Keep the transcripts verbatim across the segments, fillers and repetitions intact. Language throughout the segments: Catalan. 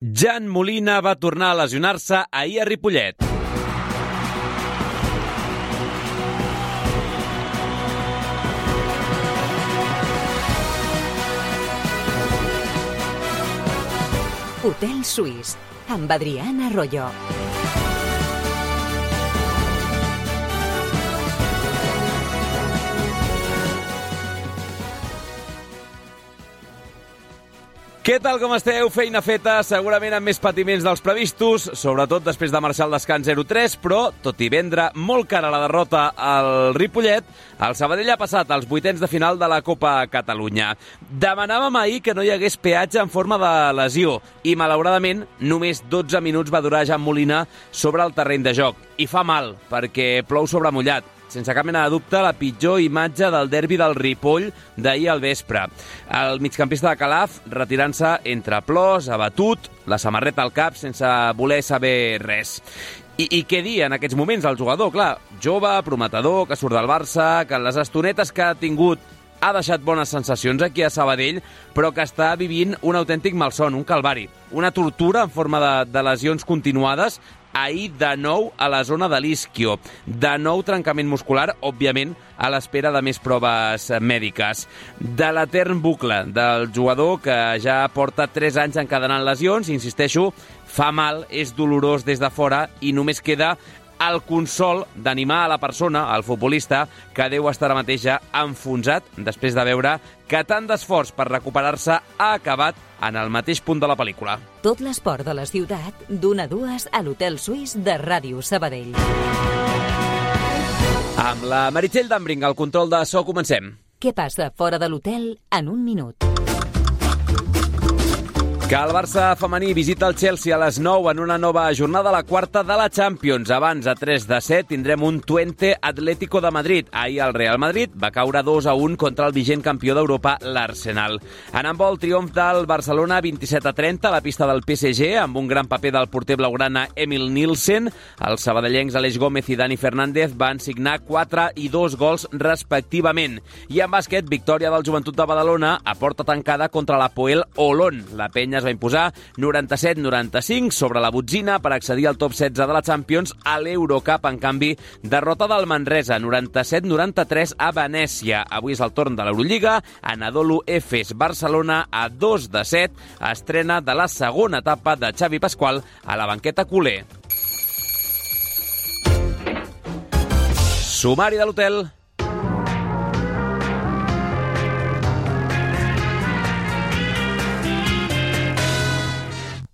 Jan Molina va tornar a lesionar-se ahir a Ripollet. Hotel Suís, amb Adrián Arroyo. Què tal, com esteu? Feina feta, segurament amb més patiments dels previstos, sobretot després de marxar al descans zero tres, però, tot i vendre molt cara la derrota al Ripollet, el Sabadell ha passat als vuitens de final de la Copa Catalunya. Demanàvem ahir que no hi hagués peatge en forma de lesió i, malauradament, només dotze minuts va durar Jan Molina sobre el terreny de joc. I fa mal, perquè plou sobre mullat. Sense cap mena de dubte, la pitjor imatge del derbi del Ripoll d'ahir al vespre. El migcampista de Calaf retirant-se entre plors, abatut, la samarreta al cap, sense voler saber res. I, I què dir en aquests moments al jugador? Clar, jove, prometedor, que surt del Barça, que en les estonetes que ha tingut ha deixat bones sensacions aquí a Sabadell, però que està vivint un autèntic malson, un calvari. Una tortura en forma de, de lesions continuades, ahir de nou a la zona de l'isquio. De nou trencament muscular, òbviament, a l'espera de més proves mèdiques. De l'etern bucle del jugador que ja porta tres anys encadenant lesions, insisteixo, fa mal, és dolorós des de fora i només queda el consol d'animar a la persona, al futbolista, que deu estar ara mateix ja enfonsat després de veure que tant d'esforç per recuperar-se ha acabat en el mateix punt de la pel·lícula. Tot l'esport de la ciutat, d'una a dues a l'Hotel Suís de Ràdio Sabadell. Amb la Meritxell Dambring, al control de so, comencem. Què passa fora de l'hotel en un minut? Que el Barça femení visita el Chelsea a les nou en una nova jornada, la quarta de la Champions. Abans, a tres de set, tindrem un Twente Atlético de Madrid. Ahir el Real Madrid va caure dos a un contra el vigent campió d'Europa, l'Arsenal. En handbol, triomf del Barcelona vint-i-set a trenta a la pista del P S G, amb un gran paper del porter blaugrana Emil Nielsen. Els sabadellencs Aleix Gómez i Dani Fernández van signar quatre i dos gols respectivament. I en bàsquet, victòria del Joventut de Badalona a porta tancada contra l'Hapoel Olon. La penya es va imposar noranta-set noranta-cinc sobre la botzina per accedir al top setze de la Champions a l'Eurocup. En canvi, derrota del Manresa noranta-set noranta-tres a Venècia. Avui és el torn de l'Eurolliga. Anadolu Efes Barcelona a dos de set. Estrena de la segona etapa de Xavi Pasqual a la banqueta culer. Sumari de l'hotel.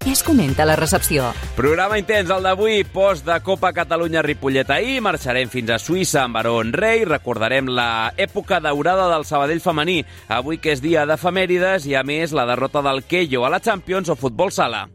Què es comenta a la recepció? Programa intens, el d'avui, post de Copa Catalunya Ripollet ahir. Marxarem fins a Suïssa amb Barón Rey. Recordarem l'època daurada del Sabadell femení. Avui que és dia d'efemèrides i, a més, la derrota del Quello a la Champions o futbol sala.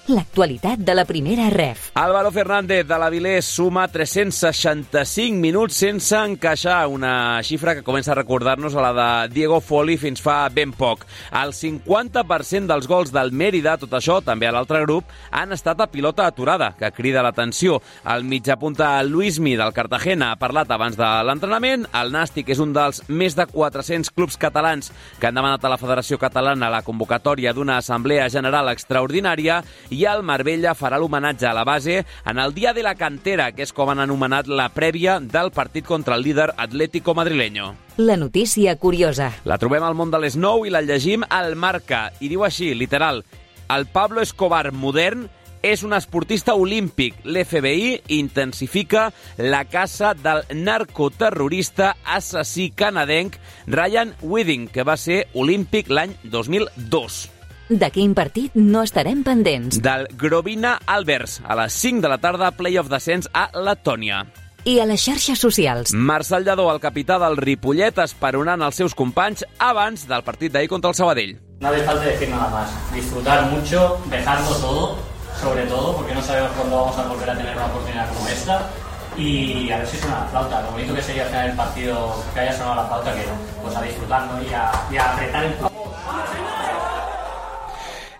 L'actualitat de la primera ref. Álvaro Fernández de l'Avilés suma tres-cents seixanta-cinc minuts sense encaixar, una xifra que comença a recordar-nos a la de Diego Foli fins fa ben poc. El cinquanta per cent dels gols del Mérida, tot això, també a l'altre grup, han estat a pilota aturada, que crida l'atenció. El mitjapunta Luismi del Cartagena ha parlat abans de l'entrenament. El Nàstic és un dels més de quatre-cents clubs catalans que han demanat a la Federació Catalana la convocatòria d'una assemblea general extraordinària i i el Marbella farà l'homenatge a la base en el Dia de la Cantera, que és com han anomenat la prèvia del partit contra el líder Atlético madrileño. La notícia curiosa. La trobem al món de les nou i la llegim al Marca, i diu així, literal: el Pablo Escobar modern és un esportista olímpic. L'F B I intensifica la caça del narcoterrorista assassí canadenc Ryan Whiting, que va ser olímpic l'any dos mil dos. De quin partit no estarem pendents? Del Grovina Albers, a les cinc de la tarda, play-off descens a Letònia. I a les xarxes socials. Marcel Lladó, el capità del Ripollet, esperonant els seus companys abans del partit d'ahir contra el Sabadell. No hace falta decir nada más. Disfrutar mucho, dejarlo todo, sobre todo, porque no sabemos cuándo vamos a volver a tener una oportunidad como esta. Y a ver si suena la flauta. Lo bonito que sería al final del partido que haya sonado la flauta, que pues a disfrutarlo y a, y a apretar el...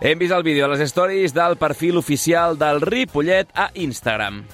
Hem vist el vídeo a les stories del perfil oficial del Ripollet a Instagram.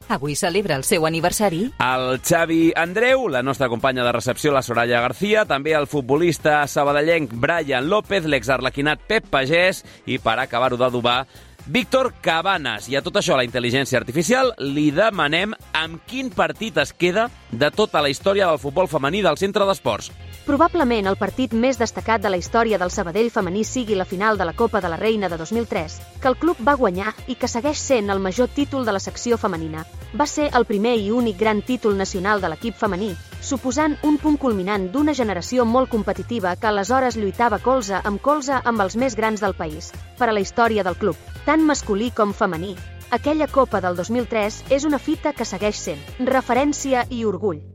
Avui celebra el seu aniversari el Xavi Andreu, la nostra companya de recepció, la Soraya García, també el futbolista sabadellenc Brian López, l'exarlequinat Pep Pagès i, per acabar-ho d'adobar, Víctor Cabanas. I a tot això, la intel·ligència artificial, li demanem amb quin partit es queda de tota la història del futbol femení del Centre d'Esports. Probablement el partit més destacat de la història del Sabadell femení sigui la final de la Copa de la Reina de dos mil tres, que el club va guanyar i que segueix sent el major títol de la secció femenina. Va ser el primer i únic gran títol nacional de l'equip femení, suposant un punt culminant d'una generació molt competitiva que aleshores lluitava colze amb colze amb els més grans del país. Per a la història del club, tant masculí com femení, aquella Copa del dos mil tres és una fita que segueix sent referència i orgull.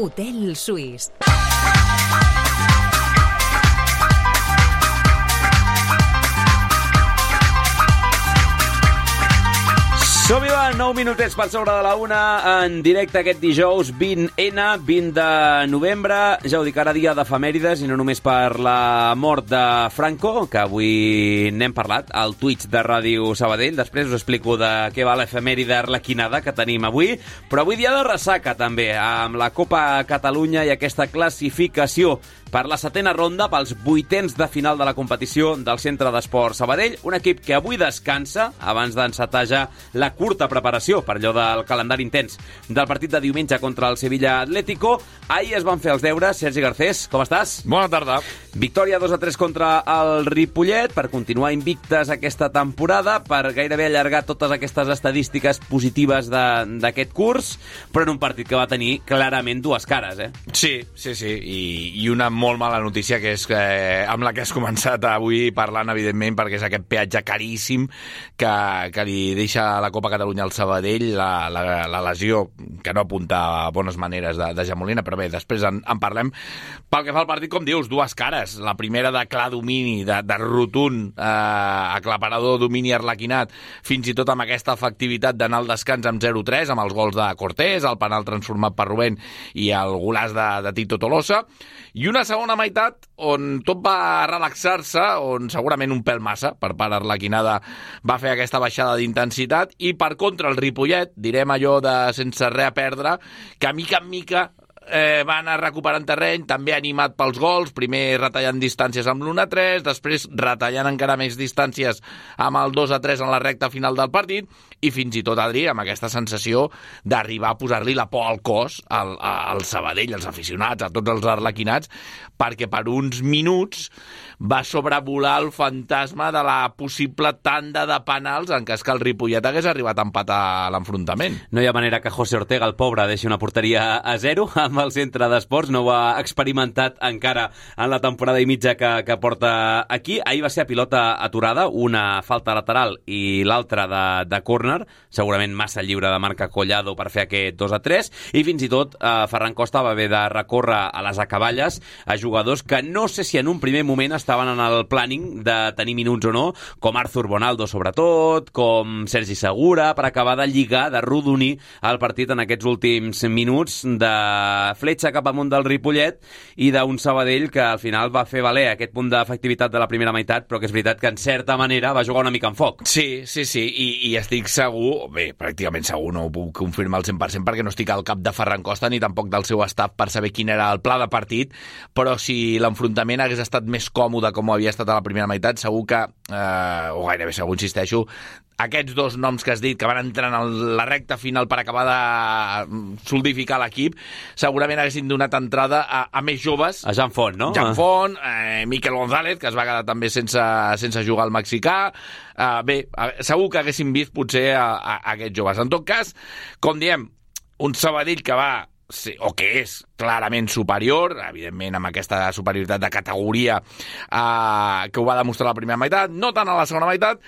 Hotel Suís. Som-hi, va, nou minutets per sobre de la una, en directe aquest dijous vint ene, vint de novembre. Ja ho dic, ara dia d'efemèrides, i no només per la mort de Franco, que avui n'hem parlat, al Twitch de Ràdio Sabadell. Després us explico de què va l'efemèride arlequinada que tenim avui. Però avui dia de ressaca, també, amb la Copa Catalunya i aquesta classificació per la setena ronda, pels vuitens de final de la competició del Centre d'Esports Sabadell. Un equip que avui descansa, abans d'encetar ja la curta preparació per allò del calendari intens del partit de diumenge contra el Sevilla Atlético. Ahir es van fer els deures. Sergi Garcés, com estàs? Bona tarda. Victòria dos a tres contra el Ripollet per continuar invictes aquesta temporada, per gairebé allargar totes aquestes estadístiques positives d'aquest curs, però en un partit que va tenir clarament dues cares, eh? Sí, sí, sí, i, i una molt mala notícia, que és eh, amb la que has començat avui parlant, evidentment, perquè és aquest peatge caríssim que, que li deixa la Copa Catalunya al Sabadell, la, la, la lesió, que no apunta a bones maneres de, de Jamolina, però bé, després en, en parlem. Pel que fa al partit, com dius, dues cares. La primera de clar domini, de, de rotund, eh, aclaparador domini arlequinat, fins i tot amb aquesta efectivitat d'anar al descans amb zero tres, amb els gols de Cortés, el penal transformat per Rubén i el golaç de, de Tito Tolosa, i una segona meitat on tot va relaxar-se, on segurament un pèl massa per part arlequinada va fer aquesta baixada d'intensitat, i per contra el Ripollet, direm allò de sense res a perdre, que mica en mica eh, va anar recuperant terreny, també animat pels gols, primer retallant distàncies amb l'u a tres, després retallant encara més distàncies amb el dos a tres en la recta final del partit, i fins i tot, Adri, amb aquesta sensació d'arribar a posar-li la por al cos al, al Sabadell, als aficionats, a tots els arlequinats, perquè per uns minuts va sobrevolar el fantasma de la possible tanda de penals en cas que el Ripollet hagués arribat a empatar l'enfrontament. No hi ha manera que José Ortega, el pobre, deixi una porteria a zero amb el Centre d'Esports. No ho ha experimentat encara en la temporada i mitja que, que porta aquí. Ahir va ser a pilota aturada, una falta lateral i l'altra de, de córner, segurament massa lliure de marca Collado per fer aquest dos a tres, i fins i tot eh, Ferran Costa va haver de recórrer a les acaballes a jugadors que no sé si en un primer moment estaven en el planning de tenir minuts o no, com Arthur Bonaldo sobretot, com Sergi Segura, per acabar de lligar, de rodonir el partit en aquests últims minuts de fletxa cap amunt del Ripollet i d'un Sabadell que al final va fer valer aquest punt d'efectivitat de la primera meitat, però que és veritat que en certa manera va jugar una mica en foc. Sí, sí, sí, i, i estic segur, bé, pràcticament segur, no ho puc confirmar al cent per cent perquè no estic al cap de Ferran Costa ni tampoc del seu staff per saber quin era el pla de partit, però si l'enfrontament hagués estat més còmode com ho havia estat a la primera meitat, segur que, eh, o gairebé segur, insisteixo, aquests dos noms que has dit, que van entrar en la recta final per acabar de solidificar l'equip, segurament haguessin donat entrada a, a més joves. A Jan Font, no? Jan Font, eh, Miquel González, que es va quedar també sense, sense jugar al mexicà. Eh, bé, segur que haguessin vist potser a, a, a aquests joves. En tot cas, com diem, un Sabadell que va sí, o que és clarament superior, evidentment amb aquesta superioritat de categoria eh, que ho va demostrar a la primera meitat, no tant a la segona meitat.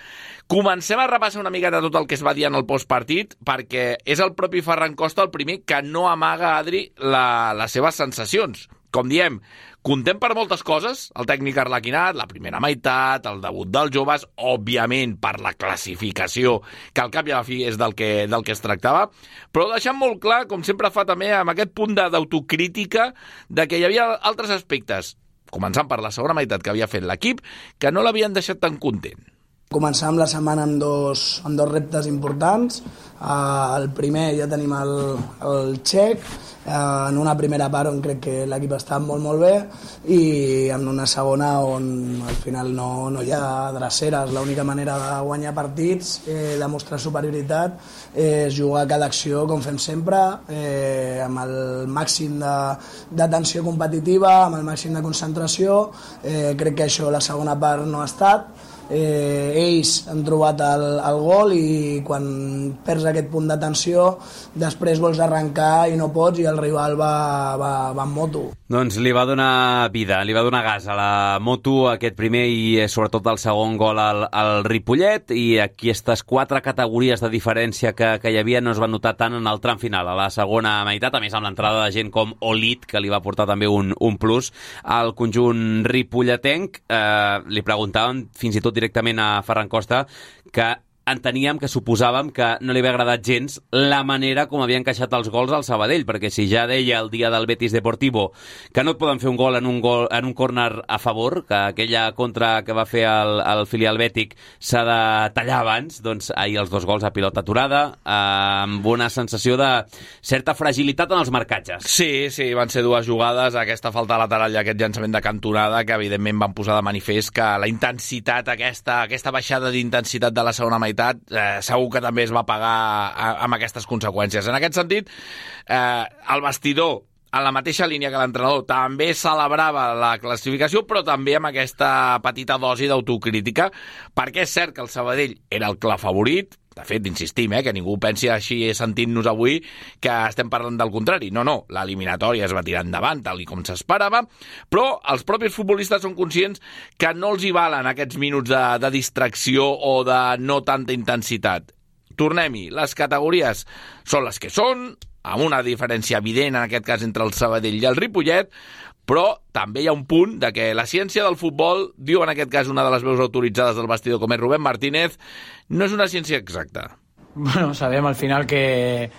Comencem a repassar una miqueta tot el que es va dir en el postpartit, perquè és el propi Ferran Costa el primer que no amaga, Adri, la, les seves sensacions. Com diem, contem per moltes coses, el tècnic arlequinat, la primera meitat, el debut dels joves, òbviament per la classificació, que al cap i a la fi és del que, del que es tractava, però deixant molt clar, com sempre fa també, amb aquest punt d'autocrítica, de que hi havia altres aspectes, començant per la segona meitat que havia fet l'equip, que no l'havien deixat tan content. Començàvem la setmana amb dos, amb dos reptes importants. Uh, el primer ja tenim el, el txec, uh, en una primera part on crec que l'equip està molt molt bé i en una segona on al final no, no hi ha dreceres. L'única manera de guanyar partits, eh, demostrar superioritat, eh, és jugar cada acció com fem sempre, eh, amb el màxim de, de tensió competitiva, amb el màxim de concentració. Eh, crec que això la segona part no ha estat. Eh, ells han trobat el, el gol i quan perds aquest punt de tensió després vols arrencar i no pots i el rival va, va, va en moto. Doncs li va donar vida, li va donar gas a la moto aquest primer i sobretot el segon gol al, al Ripollet, i aquestes quatre categories de diferència que, que hi havia no es van notar tant en el tram final, a la segona meitat, a més amb l'entrada de gent com Olit, que li va portar també un, un plus al conjunt ripolletenc. Eh, li preguntaven fins i tot directament a Ferran Costa que enteníem, que suposàvem que no li havia agradat gens la manera com havia encaixat els gols al Sabadell, perquè si ja deia el dia del Betis Deportivo que no et poden fer un gol en un, gol, en un córner a favor, que aquella contra que va fer el, el filial bètic s'ha de tallar abans, doncs ahir els dos gols a pilota aturada, eh, amb una sensació de certa fragilitat en els marcatges. Sí, sí, van ser dues jugades, aquesta falta lateral i aquest llançament de cantonada, que evidentment van posar de manifest que la intensitat, aquesta, aquesta baixada d'intensitat de la segona meitat Eh, segur que també es va pagar a, amb aquestes conseqüències. En aquest sentit, eh, el vestidor, en la mateixa línia que l'entrenador, també celebrava la classificació, però també amb aquesta petita dosi d'autocrítica, perquè és cert que el Sabadell era el clar favorit. De fet, insistim, eh, que ningú pensi així sentint-nos avui que estem parlant del contrari. No, no, l'eliminatòria es va tirar endavant, tal i com s'esperava, però els propis futbolistes són conscients que no els hi valen aquests minuts de, de distracció o de no tanta intensitat. Tornem-hi, les categories són les que són, amb una diferència evident, en aquest cas, entre el Sabadell i el Ripollet, però també hi ha un punt de que la ciència del futbol, diu en aquest cas una de les veus autoritzades del vestidor com és Rubén Martínez, no és una ciència exacta. Bueno, sabem al final que,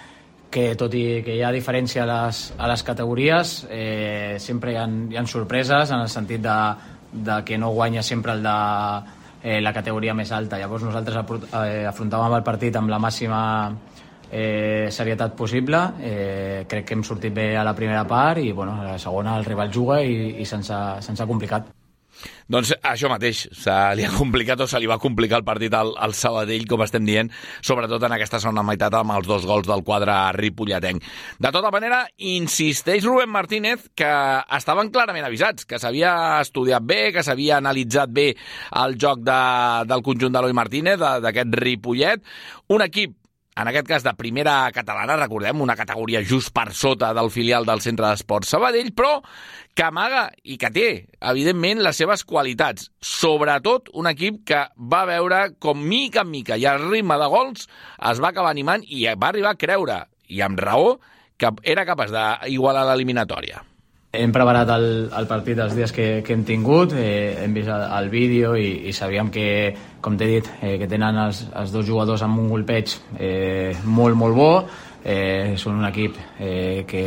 que tot i que hi ha diferència a les, a les categories, eh, sempre hi ha, hi ha sorpreses en el sentit de, de que no guanya sempre el de eh, la categoria més alta. Llavors nosaltres eh, afrontàvem el partit amb la màxima Eh, serietat possible. Eh, crec que hem sortit bé a la primera part i bueno, a la segona el rival juga i, i se'ns ha, se'ns ha complicat. Doncs això mateix, se li ha complicat o se li va complicar el partit al, al Sabadell, com estem dient, sobretot en aquesta segona meitat amb els dos gols del quadre ripolletenc. De tota manera, insisteix Rubén Martínez que estaven clarament avisats, que s'havia estudiat bé, que s'havia analitzat bé el joc de, del conjunt d'Eloi Martínez, d'aquest Ripollet, un equip en aquest cas de primera catalana, recordem, una categoria just per sota del filial del Centre d'Esports Sabadell, però que amaga i que té, evidentment, les seves qualitats. Sobretot un equip que va veure com mica en mica i al ritme de gols es va acabar animant i va arribar a creure, i amb raó, que era capaç d'igualar l'eliminatòria. Hem preparat el, el partit els dies que, que hem tingut, eh, hem vist el, el vídeo i, i sabíem que, com t'he dit, eh, que tenen els, els dos jugadors amb un golpeig eh, molt, molt bo. Eh, són un equip eh, que,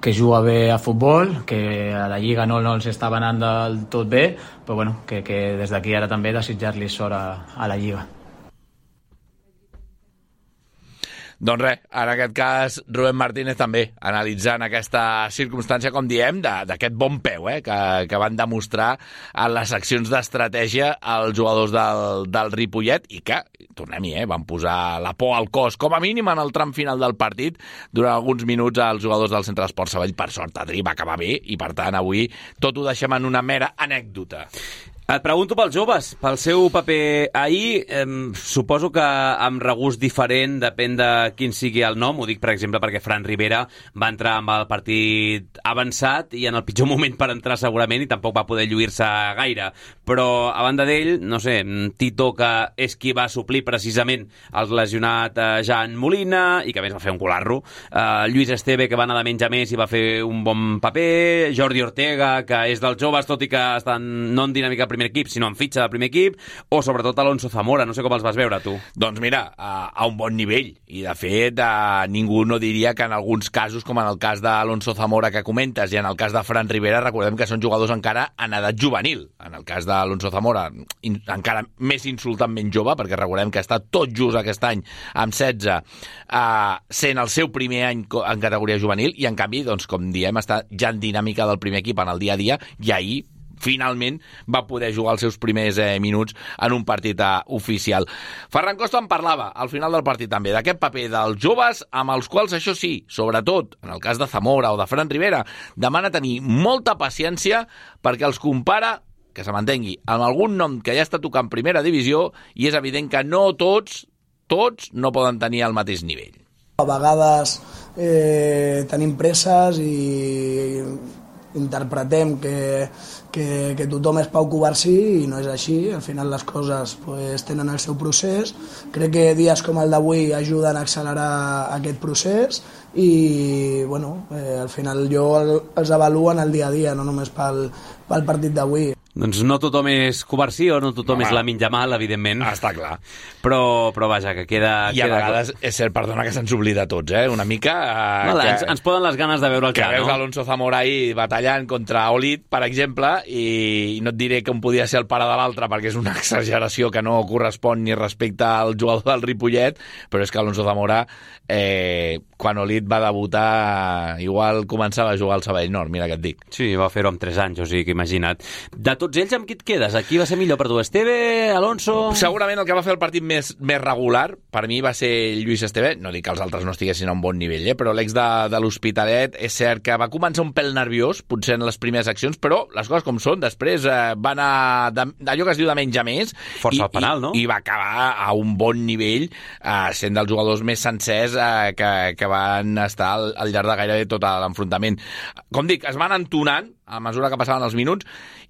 que juga bé a futbol, que a la Lliga no, no els estava anant del tot bé, però bueno, que, que des d'aquí ara també desitjar-li sort a, a la Lliga. Doncs res, en aquest cas, Rubén Martínez també analitzant aquesta circumstància, com diem, d'aquest bon peu eh, que, que van demostrar en les accions d'estratègia els jugadors del, del Ripollet i que, tornem-hi, eh, van posar la por al cos, com a mínim en el tram final del partit, durant alguns minuts als jugadors del Centre d'Esports Sabadell. Per sort, Adri va acabar bé i, per tant, avui tot ho deixem en una mera anècdota. Et pregunto pels joves, pel seu paper ahir. Eh, suposo que amb regust diferent, depèn de quin sigui el nom. Ho dic, per exemple, perquè Fran Rivera va entrar amb el partit avançat i en el pitjor moment per entrar segurament i tampoc va poder lluir-se gaire. Però a banda d'ell, no sé, Tito, que és qui va suplir precisament el lesionat eh, Jan Molina i que a més va fer un colarro. Eh, Lluís Esteve, que va anar de menys a més i va fer un bon paper. Jordi Ortega, que és dels joves, tot i que estan no en dinàmica primera primer equip, sinó en fitxa de primer equip, o sobretot Alonso Zamora, no sé com els vas veure, tu. Doncs mira, a, a un bon nivell, i de fet a, ningú no diria que en alguns casos, com en el cas d'Alonso Zamora que comentes, i en el cas de Fran Rivera, recordem que són jugadors encara en edat juvenil. En el cas d'Alonso Zamora, in, encara més insultantment jove, perquè recordem que està tot just aquest any amb setze, eh, sent el seu primer any en categoria juvenil, i en canvi, doncs, com diem, està ja en dinàmica del primer equip en el dia a dia, i ahir finalment va poder jugar els seus primers eh, minuts en un partit eh, oficial. Ferran Costa en parlava al final del partit també, d'aquest paper dels joves, amb els quals, això sí, sobretot en el cas de Zamora o de Fran Rivera, demana tenir molta paciència perquè els compara, que se m'entengui, amb algun nom que ja està tocant primera divisió, i és evident que no tots, tots no poden tenir el mateix nivell. A vegades eh, tenim presses i interpretem que, que, que tothom és Pau Covarsí, i no és així. Al final les coses pues, tenen el seu procés. Crec que dies com el d'avui ajuden a accelerar aquest procés i bueno, eh, al final jo els avaluo en el dia a dia, no només pel, pel partit d'avui. Doncs no tothom és Covarsí o no tothom Home, és Lamine Yamal, evidentment. Està clar. Però, però vaja, que queda... I a queda vegades, és cert, perdona, que se'ns oblida a tots, eh? Una mica... Eh, no, que, ens, ens poden les ganes de veure el que clar, veus no? Alonso Zamora ahir batallant contra Olit, per exemple, i no et diré que un podia ser el pare de l'altre, perquè és una exageració que no correspon ni respecte al jugador del Ripollet, però és que Alonso Zamora, eh, quan Olit va debutar, igual començava a jugar al Sabadell Nord, mira què et dic. Sí, va fer-ho amb tres anys, o sigui que imagina't. De tots ells, amb qui et quedes? Aquí va ser millor per tu? Esteve, Alonso... Segurament el que va fer el partit més, més regular, per mi va ser Lluís Esteve. No dic que els altres no estiguessin a un bon nivell, eh? Però l'ex de, de l'Hospitalet és cert que va començar un pèl nerviós, potser en les primeres accions, però les coses com són, després eh, va anar d'allò que es diu de menys a més. Força i, al penal, i, no? I va acabar a un bon nivell, eh, sent dels jugadors més sencers eh, que, que van estar al, al llarg de gairebé tot l'enfrontament. Com dic, es van entonant a mesura que passaven els minuts,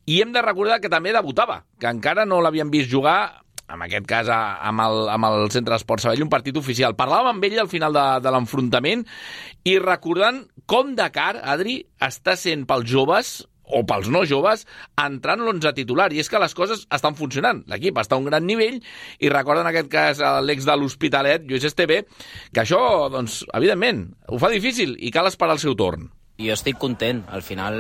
i hem de recordar que també debutava, que encara no l'havien vist jugar, en aquest cas amb el, amb el Centre d'Esport Sabadell, un partit oficial. Parlàvem amb ell al final de, de l'enfrontament i recordant com Dakar, Adri, està sent pels joves o pels no joves, entrant l'onze titular. I és que les coses estan funcionant. L'equip està a un gran nivell i recorda en aquest cas l'ex de l'Hospitalet, Lluís Esteve, que això, doncs, evidentment, ho fa difícil i cal esperar el seu torn. Jo estic content. Al final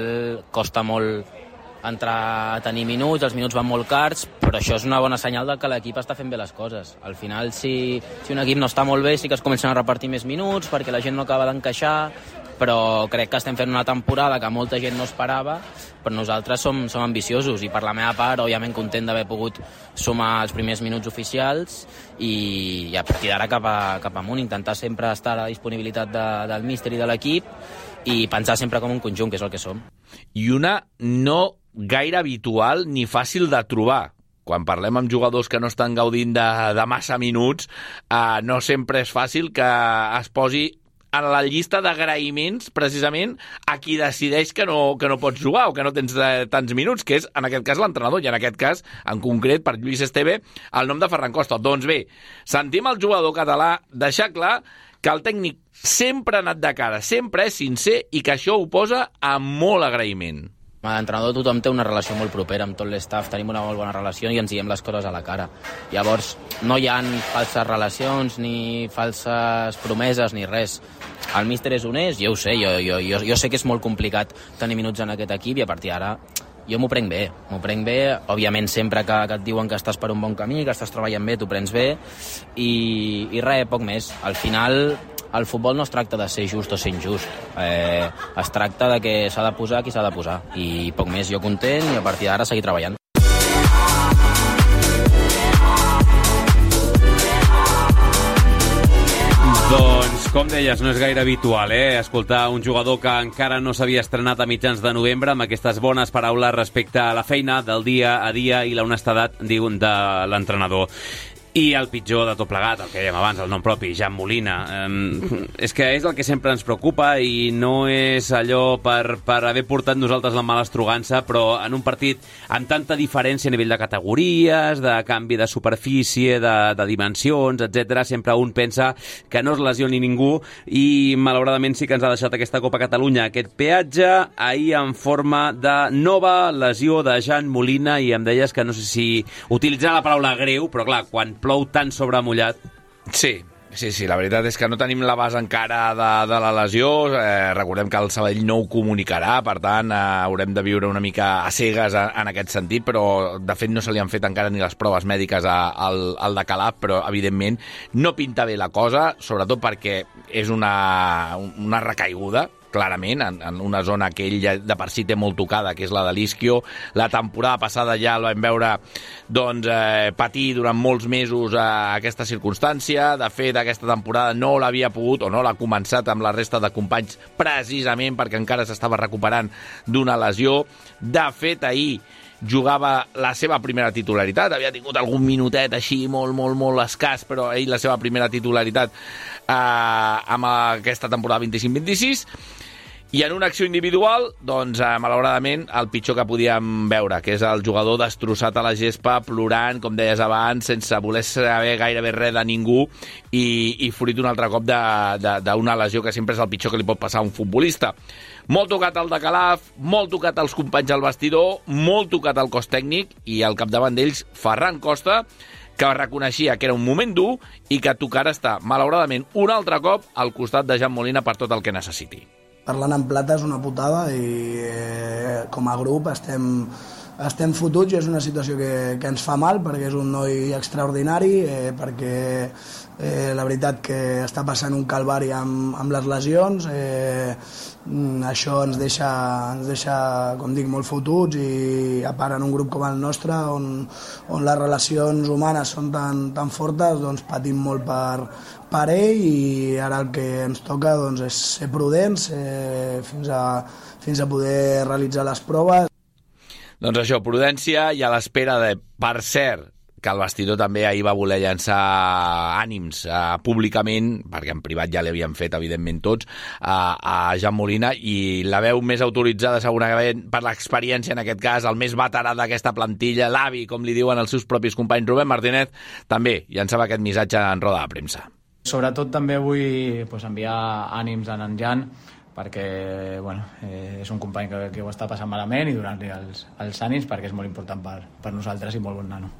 costa molt entrar a tenir minuts, els minuts van molt cars, però això és una bona senyal de que l'equip està fent bé les coses. Al final, si, si un equip no està molt bé, sí que es comencen a repartir més minuts perquè la gent no acaba d'encaixar, però crec que estem fent una temporada que molta gent no esperava, però nosaltres som, som ambiciosos, i per la meva part, òbviament content d'haver pogut sumar els primers minuts oficials i, i a partir d'ara cap, a, cap amunt, intentar sempre estar a la disponibilitat de, del míster i de l'equip i pensar sempre com un conjunt, que és el que som. I una no gaire habitual ni fàcil de trobar. Quan parlem amb jugadors que no estan gaudint de, de massa minuts, eh, no sempre és fàcil que es posi en la llista d'agraïments, precisament, a qui decideix que no, que no pots jugar o que no tens de, tants minuts, que és, en aquest cas, l'entrenador, i en aquest cas, en concret, per Lluís Esteve, el nom de Ferran Costa. Doncs bé, sentim el jugador català deixar clar que el tècnic sempre ha anat de cara, sempre és sincer i que això ho posa amb molt agraïment. Amb l'entrenador tothom té una relació molt propera, amb tot l'estaf tenim una molt bona relació i ens diem les coses a la cara. Llavors, no hi ha falses relacions, ni falses promeses, ni res. El míster és honest, jo ho sé, jo, jo, jo, jo sé que és molt complicat tenir minuts en aquest equip i a partir d'ara jo m'ho prenc bé, m'ho prenc bé, òbviament sempre que, que et diuen que estàs per un bon camí, que estàs treballant bé, t'ho prens bé i, i res, poc més. Al final el futbol no es tracta de ser just o ser injust, eh, es tracta de que s'ha de posar qui s'ha de posar i poc més, jo content i a partir d'ara seguir treballant. Doncs, com deies, no és gaire habitual, eh? Escoltar un jugador que encara no s'havia estrenat a mitjans de novembre amb aquestes bones paraules respecte a la feina del dia a dia i l'honestedat, diuen, de l'entrenador. I el pitjor de tot plegat, el que dèiem abans, el nom propi, Jan Molina. Eh, és que és el que sempre ens preocupa i no és allò per, per haver portat nosaltres la mala estrogança, però en un partit amb tanta diferència a nivell de categories, de canvi de superfície, de, de dimensions, etcètera, sempre un pensa que no es lesioni ningú i malauradament sí que ens ha deixat aquesta Copa Catalunya aquest peatge, ahir en forma de nova lesió de Jan Molina, i em deies que no sé si utilitzar la paraula greu, però clar, quan plou tant sobre mullat. Sí, sí, sí, la veritat és que no tenim la base encara de, de la lesió, eh, recordem que el Sabadell no ho comunicarà, per tant eh, haurem de viure una mica a cegues en, en aquest sentit, però de fet no se li han fet encara ni les proves mèdiques a, al, al de Calaf, però evidentment no pinta bé la cosa, sobretot perquè és una, una recaiguda, clarament, en, en una zona que ell ja de per si té molt tocada, que és la de l'isquio. La temporada passada ja el vam veure doncs, eh, patir durant molts mesos eh, aquesta circumstància. De fet, aquesta temporada no l'havia pogut, o no l'ha començat amb la resta de companys, precisament perquè encara s'estava recuperant d'una lesió. De fet, ahir jugava la seva primera titularitat, havia tingut algun minutet així molt, molt, molt escàs, però ell la seva primera titularitat eh, amb aquesta temporada vint-i-cinc vint-i-sis, i en una acció individual, doncs, eh, malauradament, el pitjor que podíem veure, que és el jugador destrossat a la gespa, plorant, com deies abans, sense voler saber gairebé res de ningú, i, i fruit un altre cop d'una lesió que sempre és el pitjor que li pot passar a un futbolista. Molt tocat el de Calaf, molt tocat els companys al vestidor, molt tocat el cos tècnic, i al capdavant d'ells, Ferran Costa, que reconeixia que era un moment dur i que tocarà estar, malauradament, un altre cop al costat de Jan Molina per tot el que necessiti. Parlant en plata és una putada i eh, com a grup estem, estem fotuts i és una situació que, que ens fa mal perquè és un noi extraordinari, eh, perquè eh, la veritat que està passant un calvari amb, amb les lesions, eh, això ens deixa, ens deixa, com dic, molt fotuts, i a part en un grup com el nostre, on, on les relacions humanes són tan, tan fortes, doncs patim molt per, per ell, i ara el que ens toca doncs, és ser prudents eh, fins, a, fins a poder realitzar les proves. Doncs això, prudència, i a l'espera de, per cert, que el vestidor també ahir va voler llançar ànims eh, públicament, perquè en privat ja l'havien fet, evidentment, tots, eh, a Jan Molina, i la veu més autoritzada, segurament, per l'experiència, en aquest cas, el més veterà d'aquesta plantilla, l'avi, com li diuen els seus propis companys, Rubén Martínez, també llançava aquest missatge en roda de premsa. Sobretot també vull pues, enviar ànims a en Jan, perquè bueno, eh, és un company que, que ho està passant malament, i donar-li els, els ànims, perquè és molt important per, per nosaltres i molt bon nano.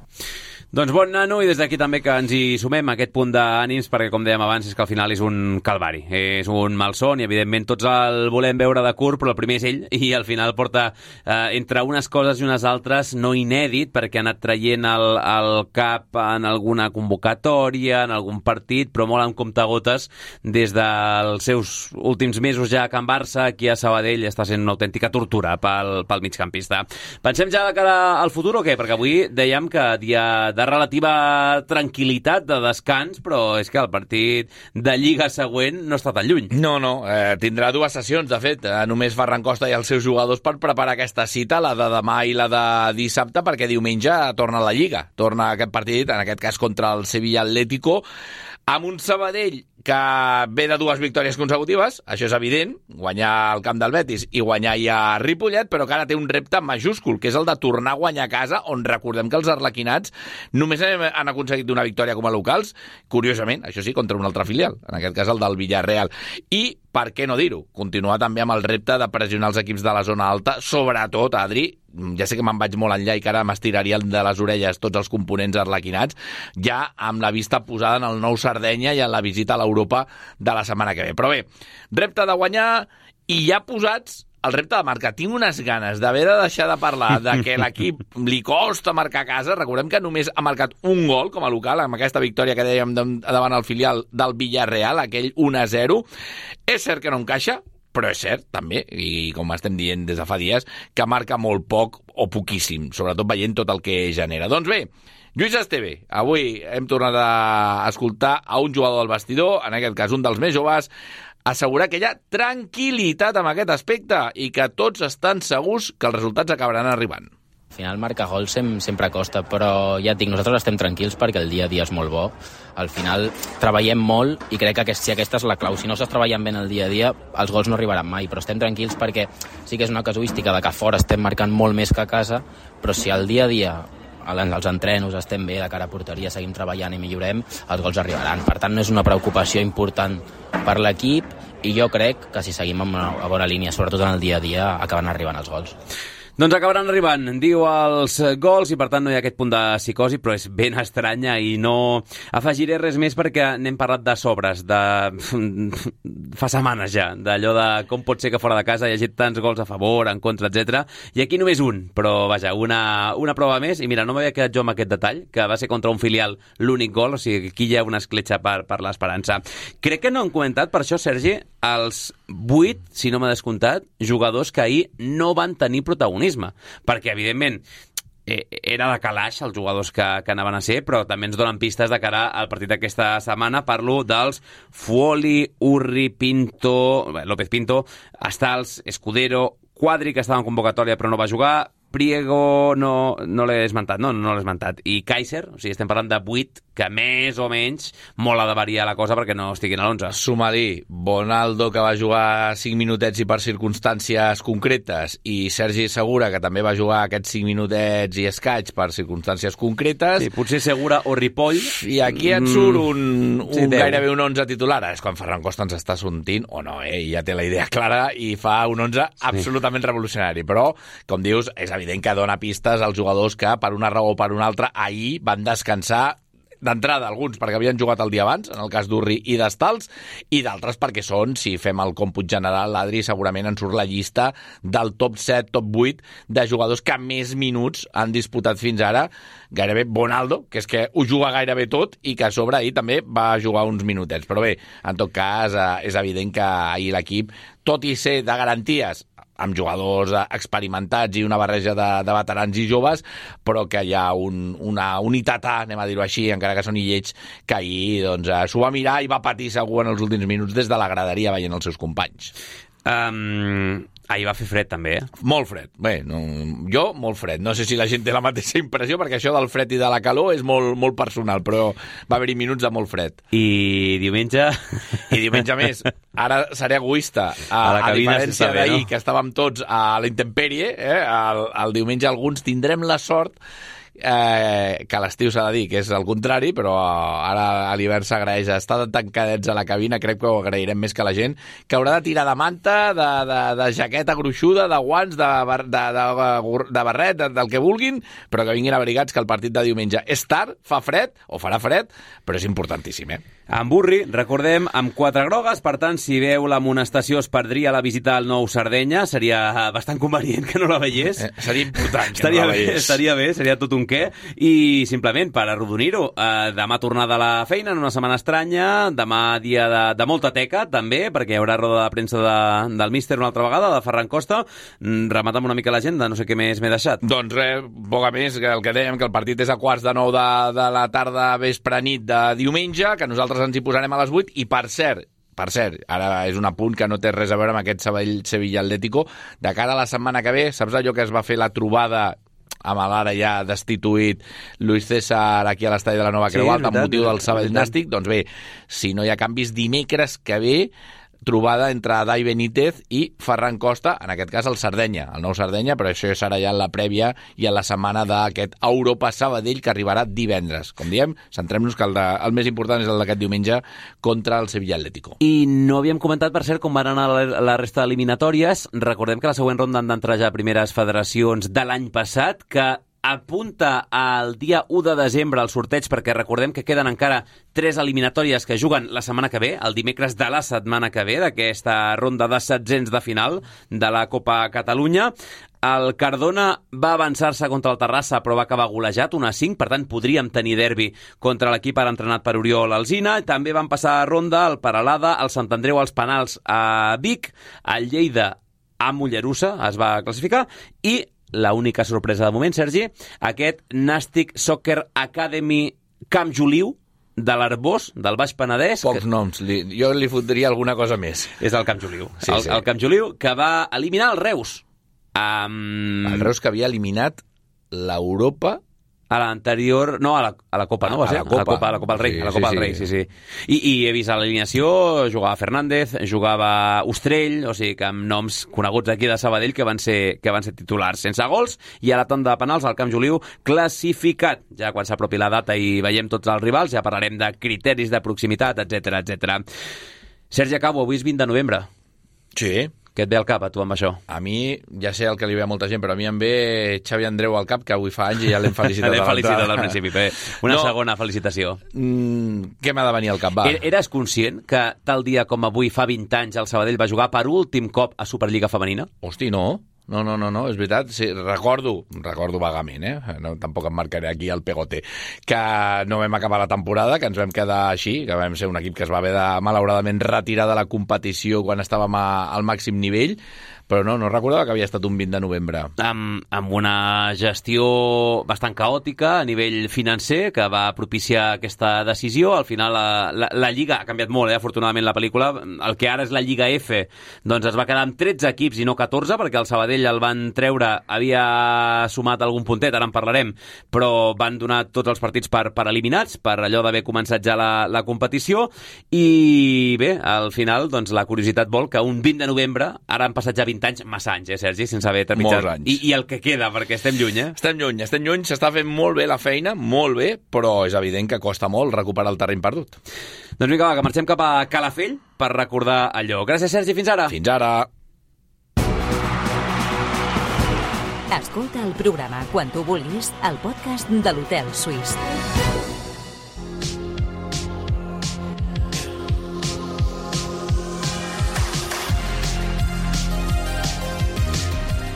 Doncs bon nano, i des d'aquí també que ens hi sumem a aquest punt d'ànims, perquè com dèiem abans és que al final és un calvari, és un malson, i evidentment tots el volem veure de curt, però el primer és ell, i al final porta eh, entre unes coses i unes altres no inèdit, perquè ha anat traient el, el cap en alguna convocatòria, en algun partit, però molt amb comptagotes des dels seus últims mesos ja a Can Barça, aquí a Sabadell està sent una autèntica tortura pel, pel migcampista. Pensem ja de cara al futur o què? Perquè avui dèiem que dia de relativa tranquil·litat, de descans, però és que el partit de Lliga següent no està tan lluny. No, no, eh, tindrà dues sessions, de fet, eh, només Ferran Costa i els seus jugadors per preparar aquesta cita, la de demà i la de dissabte, perquè diumenge torna a la Lliga, torna aquest partit, en aquest cas contra el Sevilla Atlético, amb un Sabadell que ve de dues victòries consecutives, això és evident, guanyar al camp del Betis i guanyar ja a Ripollet, però que ara té un repte majúscul, que és el de tornar a guanyar a casa, on recordem que els arlequinats només han aconseguit una victòria com a locals, curiosament, això sí, contra un altre filial, en aquest cas el del Villarreal. I, per què no dir-ho, continuar també amb el repte de pressionar els equips de la zona alta, sobretot, Adri, ja sé que me'n vaig molt enllà i que ara m'estiraria de les orelles tots els components arlequinats, ja amb la vista posada en el nou Sardenya i en la visita a l'Europa de la setmana que ve. Però bé, repte de guanyar, i ja posats el repte de marcar. Tinc unes ganes d'haver de deixar de parlar de que l'equip li costa marcar a casa. Recordem que només ha marcat un gol com a local, amb aquesta victòria que dèiem davant el filial del Villarreal, aquell un a zero. És cert que no encaixa, però és cert, també, i com estem dient des de fa dies, que marca molt poc o poquíssim, sobretot veient tot el que genera. Doncs bé, Lluís Esteve, avui hem tornat a escoltar a un jugador del vestidor, en aquest cas un dels més joves, assegurar que hi ha tranquil·litat amb aquest aspecte i que tots estan segurs que els resultats acabaran arribant. final marcar gols sem sempre costa, però ja et dic, nosaltres estem tranquils perquè el dia a dia és molt bo. Al final treballem molt i crec que aquest, si aquesta és la clau. Si no estàs treballant bé en el dia a dia, els gols no arribaran mai, però estem tranquils perquè sí que és una casuística de que a fora estem marcant molt més que a casa, però si al dia a dia els entrenos estem bé, de cara a porteria seguim treballant i millorem, els gols arribaran. Per tant, no és una preocupació important per l'equip i jo crec que si seguim amb una bona línia, sobretot en el dia a dia, acaben arribant els gols. Doncs acabaran arribant, diu, els gols i per tant no hi ha aquest punt de psicosi, però és ben estranya i no afegiré res més perquè n'hem parlat de sobres, de fa setmanes ja, d'allò de com pot ser que fora de casa hi hagi tants gols a favor, en contra, etcètera. I aquí només un, però vaja, una, una prova més. I mira, no m'havia quedat jo amb aquest detall, que va ser contra un filial l'únic gol, o sigui, aquí hi ha una escletxa per, per l'esperança. Crec que no han comentat, per això, Sergi, els vuit, si no m'ha descomptat, jugadors que ahir no van tenir protagonisme, perquè, evidentment, eh, era de calaix els jugadors que, que anaven a ser, però també ens donen pistes de cara al partit d'aquesta setmana. Parlo dels Fuoli, Urri, Pinto, López Pinto, Stals, Escudero, Quadri, que estava en convocatòria però no va jugar, Priego no, no l'he esmentat, no, no l'he esmentat, i Kaiser, o sigui, estem parlant de vuit, que més o menys molt ha de variar la cosa perquè no estiguin a l'onze. Suma-li Bonaldo, que va jugar cinc minutets i per circumstàncies concretes, i Sergi Segura, que també va jugar aquests cinc minutets i escaig per circumstàncies concretes. Sí, potser Segura o Ripoll. I aquí et surt un, un sí, gairebé un onze titular. És quan Ferran Costa ens està sortint, o no, eh? Ja té la idea clara i fa un onze sí. absolutament revolucionari. Però, com dius, és evident que dona pistes als jugadors que, per una raó o per una altra, ahir van descansar d'entrada, alguns perquè havien jugat el dia abans, en el cas d'Urri i d'Estals, i d'altres perquè són, si fem el còmput general, l'Adri segurament en surt la llista del top set, top vuit de jugadors que més minuts han disputat fins ara, gairebé Bonaldo, que és que ho juga gairebé tot i que a sobre ahir també va jugar uns minutets. Però bé, en tot cas, és evident que ahir l'equip, tot i ser de garanties, amb jugadors experimentats i una barreja de, de veterans i joves, però que hi ha un, una unitat A, anem a dir-ho així, encara que són lleig, que ahir doncs, s'ho va mirar i va patir segur en els últims minuts des de la graderia veient els seus companys. Um, ahir va fer fred també, eh? Molt fred. Bé, no, jo molt fred. No sé si la gent té la mateixa impressió, perquè això del fred i de la calor és molt, molt personal, però va haver-hi minuts de molt fred. I diumenge... I diumenge més. Ara seré egoista. A, a, a diferència d'ahir, no? Que estàvem tots a la intempèrie, eh? el, el diumenge alguns tindrem la sort Eh, que a l'estiu s'ha de dir que és el contrari, però ara a l'hivern s'agraeix estar tancadets a la cabina. Crec que ho agrairem més que la gent, que haurà de tirar de manta, de, de, de jaqueta gruixuda, de guants, de, bar, de, de, de barret, de, del que vulguin, però que vinguin abrigats, que el partit de diumenge és tard, fa fred, o farà fred, però és importantíssim, eh? En Burri, recordem, amb quatre grogues, per tant, si veu l'amonestació es perdria la visita al nou Sardenya, seria bastant convenient que no la veiés. Eh, seria important que estaria no la veiés. Bé, estaria bé, seria tot un què. I simplement, per arrodonir-ho, eh, demà tornada a la feina en una setmana estranya, demà dia de, de molta teca, també, perquè hi haurà roda de premsa de, del míster una altra vegada, de Ferran Costa. Remata'm una mica l'agenda, no sé què més m'he deixat. Doncs res, poca més, que el que dèiem, que el partit és a quarts de nou de, de la tarda, vespre, nit de diumenge, que nosaltres ens hi posarem a les vuit, i per cert, per cert, ara és un apunt que no té res a veure amb aquest Sevilla Atlético, de cara a la setmana que ve, saps allò que es va fer la trobada amb l'ara ja destituït Luis César aquí a l'estadi de la Nova Creu sí, Alta amb motiu del Sabadell Nàstic? Doncs bé, si no hi ha canvis, dimecres que ve trobada entre Dai Benítez i Ferran Costa, en aquest cas el Sardenya, el nou Sardenya, però això serà ja en la prèvia i en la setmana d'aquest Europa Sabadell que arribarà divendres. Com diem, centrem-nos que el, de, el més important és el d'aquest diumenge contra el Sevilla Atlético. I no havíem comentat, per cert, com van anar la, la resta d'eliminatòries. Recordem que la següent ronda han d'entrar ja primeres federacions de l'any passat, que apunta al dia u de desembre al sorteig, perquè recordem que queden encara tres eliminatòries que juguen la setmana que ve, el dimecres de la setmana que ve, d'aquesta ronda de setzents de final de la Copa Catalunya. El Cardona va avançar-se contra el Terrassa, però va acabar golejat, un a cinc, per tant podríem tenir derbi contra l'equip ara entrenat per Oriol Alsina. També van passar a ronda el Peralada, el Sant Andreu als penals a Vic, el Lleida a Mollerussa es va classificar, i la única sorpresa de moment, Sergi, aquest Nàstic Soccer Academy Camp Juliu de l'Arbós, del Baix Penedès. Pocs que... noms, li, jo li fotria alguna cosa més. És el Camp Juliu. Sí, el, sí. el Camp Juliu, que va eliminar el Reus. Um... El Reus que havia eliminat l'Europa... A l'anterior... No, a la, a la Copa, no va ser? A la Copa. A la Copa, a la Copa del Rei. Sí, a la Copa sí, del Rei, sí. sí, sí. I, I he vist a l'alineació, jugava Fernández, jugava Ostrell, o sigui que amb noms coneguts aquí de Sabadell que van ser, que van ser titulars. Sense gols i a la tanda de penals al Camp Joliu classificat. Ja quan s'apropi la data i veiem tots els rivals, ja parlarem de criteris de proximitat, etcètera, etcètera. Sergi, acabo, avui és vint de novembre. Sí. Què et ve al cap, a tu, amb això? A mi, ja sé el que li ve a molta gent, però a mi em ve Xavi Andreu al cap, que avui fa anys i ja l'hem felicitat. L'hem felicitat al principi. Bé, una no. segona felicitació. Mm, què m'ha de venir al cap, va? Eres conscient que tal dia com avui, fa vint anys, el Sabadell va jugar per últim cop a Superliga Femenina? Hosti, no. No, no, no, no, és veritat. Sí, recordo, recordo vagament, eh? No, tampoc em marcaré aquí el pegote, que no vam acabar la temporada, que ens vam quedar així, que vam ser un equip que es va haver de, malauradament, retirar de la competició quan estàvem a, al màxim nivell, però no, no recordava que havia estat un vint de novembre. Amb, amb una gestió bastant caòtica a nivell financer que va propiciar aquesta decisió. Al final la, la, la Lliga ha canviat molt, eh? Afortunadament la pel·lícula. El que ara és la Lliga F doncs es va quedar amb tretze equips i no catorze, perquè el Sabadell el van treure, havia sumat algun puntet, ara en parlarem, però van donar tots els partits per, per eliminats, per allò d'haver començat ja la, la competició, i bé, al final doncs, la curiositat vol que un vint de novembre, ara han passat ja vint anys, massa anys, eh, Sergi, sense haver trepitjat. Molts anys. I, I el que queda, perquè estem lluny, eh? Estem lluny, estem lluny, s'està fent molt bé la feina, molt bé, però és evident que costa molt recuperar el terreny perdut. Doncs vinga, va, que marxem cap a Calafell per recordar allò. Gràcies, Sergi, fins ara. Fins ara. Escolta el programa quan tu vulguis al podcast de l'Hotel Suís.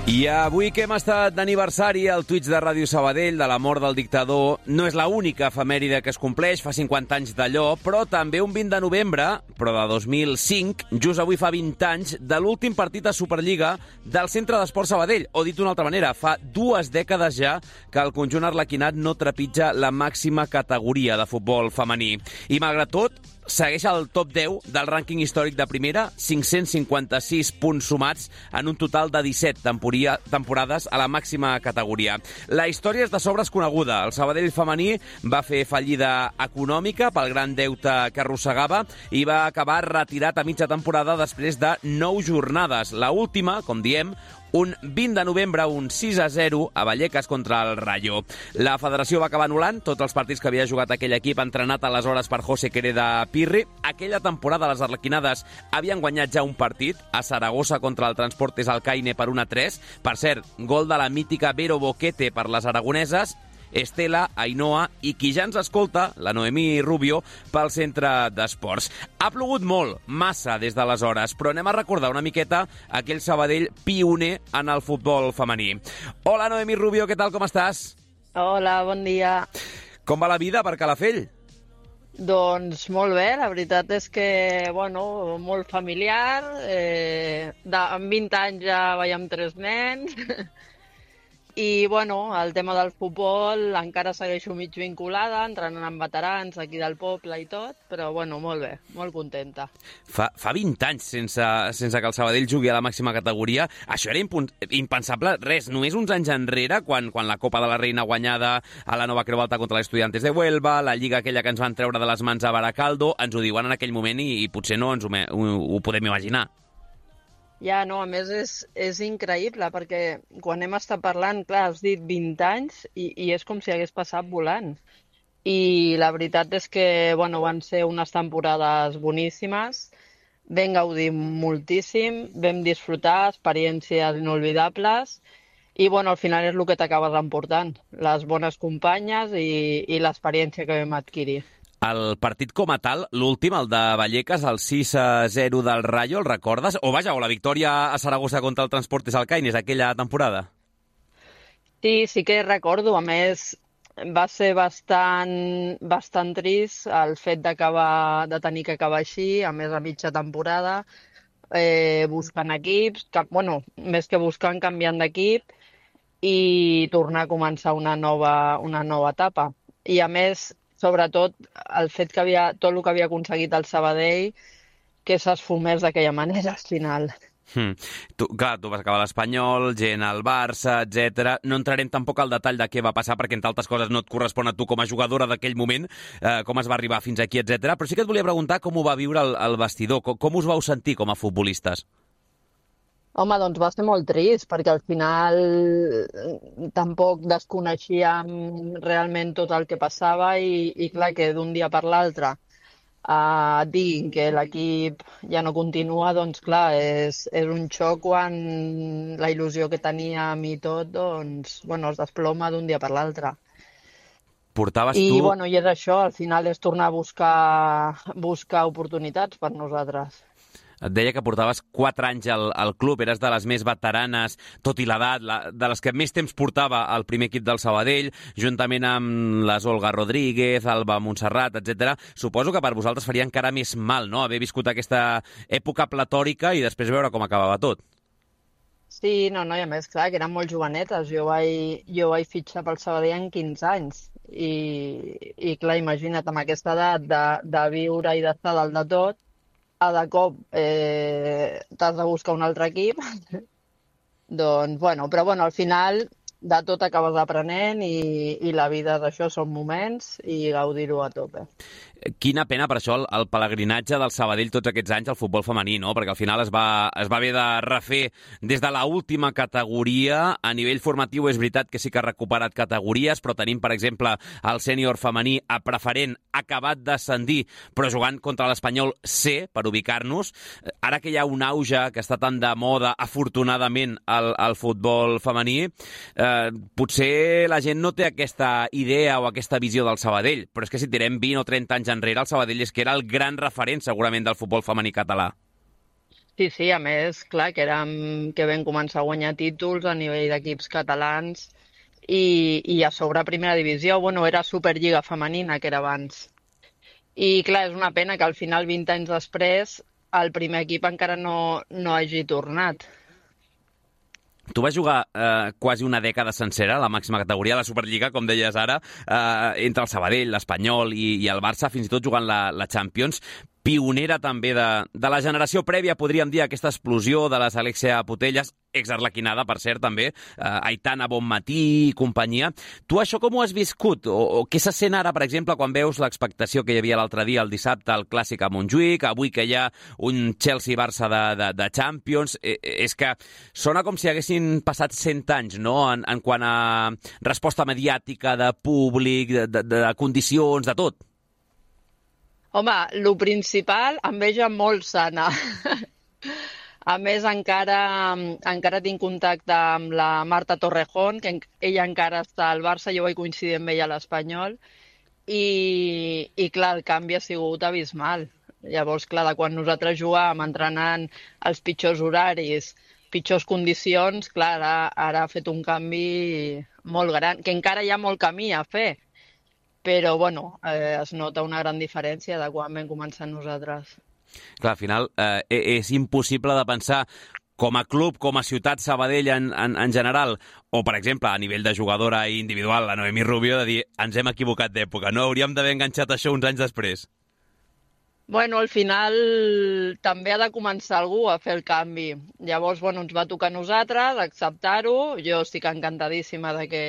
I avui que hem estat d'aniversari al Twitch de Ràdio Sabadell de la mort del dictador, no és l'única efemèride que es compleix, fa cinquanta anys d'allò, però també un vint de novembre, però de dos mil cinc, just avui fa vint anys, de l'últim partit a Superliga del Centre d'Esport Sabadell, o dit d'una altra manera, fa dues dècades ja que el conjunt arlequinat no trepitja la màxima categoria de futbol femení. I malgrat tot, segueix al top deu del rànquing històric de primera, cinc-cents cinquanta-sis punts sumats en un total de disset temporades a la màxima categoria. La història és de sobres coneguda. El Sabadell femení va fer fallida econòmica pel gran deute que arrossegava i va acabar retirat a mitja temporada després de nou jornades. La última, com diem, un vint de novembre, un sis a zero a Vallecas contra el Rayo. La federació va acabar anul·lant tots els partits que havia jugat aquell equip, entrenat aleshores per José Quereda Pirri. Aquella temporada les arlequinades havien guanyat ja un partit a Saragossa contra el Transportes Alcaine per un a tres. Per cert, gol de la mítica Vero Boquete per les aragoneses, Estela, Ainhoa i qui ja ens escolta, la Noemí Rubio, pel centre d'esports. Ha plogut molt, massa des d'aleshores, però anem a recordar una miqueta aquell Sabadell pioner en el futbol femení. Hola, Noemí Rubio, què tal, com estàs? Hola, bon dia. Com va la vida per Calafell? Doncs molt bé, la veritat és que, bueno, molt familiar. Eh, de, amb vint anys ja veiem tres nens. I, bueno, el tema del futbol encara segueixo mig vinculada, entrenant amb veterans aquí del poble i tot, però, bueno, molt bé, molt contenta. Fa, fa vint anys sense, sense que el Sabadell jugui a la màxima categoria. Això era impensable, res, només uns anys enrere, quan, quan la Copa de la Reina guanyada a la Nova Creu Alta contra l'Estudiantes de Huelva, la Lliga aquella que ens van treure de les mans a Baracaldo, ens ho diuen en aquell moment i, i potser no ens ho, ho, ho podem imaginar. Ja, no, a més és, és increïble, perquè quan hem estat parlant, clar, has dit vint anys i, i és com si hagués passat volant. I la veritat és que, bueno, van ser unes temporades boníssimes, vam gaudir moltíssim, vam disfrutar, experiències inolvidables, i, bueno, al final és el que t'acabes emportant, les bones companyes i, i l'experiència que vam adquirir. El partit com a tal, l'últim, el de Vallecas, el sis a zero del Rayo, el recordes? O vaja, o la victòria a Saragossa contra el Transportes Alcaines aquella temporada? Sí, sí que recordo. A més, va ser bastant, bastant trist el fet d'acabar de tenir que acabar així, a més a mitja temporada, eh, buscant equips, que, bueno, més que buscant, canviant d'equip i tornar a començar una nova, una nova etapa. I a més, sobretot el fet que havia, tot el que havia aconseguit el Sabadell, que s'esfumés d'aquella manera al final. Hmm. Tu, clar, tu vas acabar l'Espanyol, gent al Barça, etcètera. No entrarem tampoc al detall de què va passar, perquè entre altres coses no et correspon a tu com a jugadora d'aquell moment, eh, com es va arribar fins aquí, etcètera. Però sí que et volia preguntar com ho va viure el, el vestidor, com, com us vau sentir com a futbolistes? Home, doncs va ser molt trist, perquè al final tampoc desconeixíem realment tot el que passava i, i clar, que d'un dia per l'altre uh, et diguin que l'equip ja no continua, doncs clar, és, és un xoc quan la il·lusió que teníem i tot, doncs, bueno, es desploma d'un dia per l'altre. Portaves I, tu... bueno, i és això, al final és tornar a buscar, buscar oportunitats per nosaltres. Et deia que portaves quatre anys al, al club, eres de les més veteranes, tot i l'edat, la, de les que més temps portava al primer equip del Sabadell, juntament amb les Olga Rodríguez, Alba Montserrat, etcètera. Suposo que per vosaltres faria encara més mal, no?, haver viscut aquesta època platòrica i després veure com acabava tot. Sí, no, no, i a més, clar, que eren molt jovenetes. Jo vaig, jo vaig fitxar pel Sabadell en quinze anys. I, i clar, imagina't, amb aquesta edat de, de viure i d'estar dalt de tot, a de cop eh, t'has de buscar un altre equip. Doncs, bueno, però bueno, al final de tot acabes aprenent i, i la vida d'això són moments i gaudir-ho a tope. Quina pena per això el, el pelegrinatge del Sabadell tots aquests anys al futbol femení, no? Perquè al final es va, es va haver de refer des de l'última categoria. A nivell formatiu és veritat que sí que ha recuperat categories, però tenim, per exemple, el sènior femení a preferent acabat d'ascendir, però jugant contra l'Espanyol C, per ubicar-nos. Ara que hi ha un auge que està tan de moda, afortunadament, al, al futbol femení, eh, potser la gent no té aquesta idea o aquesta visió del Sabadell, però és que si tirem vint o trenta anys enrere, el Sabadell és que era el gran referent, segurament, del futbol femení català. Sí, sí, a més, clar, que, érem, que vam començar a guanyar títols a nivell d'equips catalans i, i a sobre primera divisió, bueno, era Superliga femenina, que era abans. I clar, és una pena que al final, vint anys després, el primer equip encara no, no hagi tornat. Tu vas jugar eh, quasi una dècada sencera a la màxima categoria, la Superliga, com deies ara, eh, entre el Sabadell, l'Espanyol i, i el Barça, fins i tot jugant la, la Champions. Pionera també de, de la generació prèvia, podríem dir, aquesta explosió de les Alexia Putellas, exarlequinada, per cert, també, eh, Aitana Bonmatí i companyia. Tu això com ho has viscut? O, o què se sent ara, per exemple, quan veus l'expectació que hi havia l'altre dia, el dissabte, al Clàssic a Montjuïc, avui que hi ha un Chelsea-Barça de, de, de Champions? Eh, és que sona com si haguessin passat cent anys, no?, en, en quant a resposta mediàtica, de públic, de, de, de condicions, de tot. Home, lo principal, enveja molt sana. A més, encara, encara tinc contacte amb la Marta Torrejón, que ella encara està al Barça, jo vaig coincidir amb ella a l'Espanyol, i, i clar, el canvi ha sigut abismal. Llavors, clar, de quan nosaltres jugàvem entrenant els pitjors horaris, pitjors condicions, clar, ara, ara ha fet un canvi molt gran, que encara hi ha molt camí a fer. Però, bueno, eh, es nota una gran diferència de quan vam començar nosaltres. Clar, al final eh, és impossible de pensar com a club, com a ciutat Sabadell en, en, en general, o, per exemple, a nivell de jugadora individual, la Noemí Rubio, de dir, ens hem equivocat d'època, no? Hauríem d'haver enganxat això uns anys després. Bueno, al final també ha de començar algú a fer el canvi. Llavors, bueno, ens va tocar a nosaltres acceptar-ho. Jo estic encantadíssima de que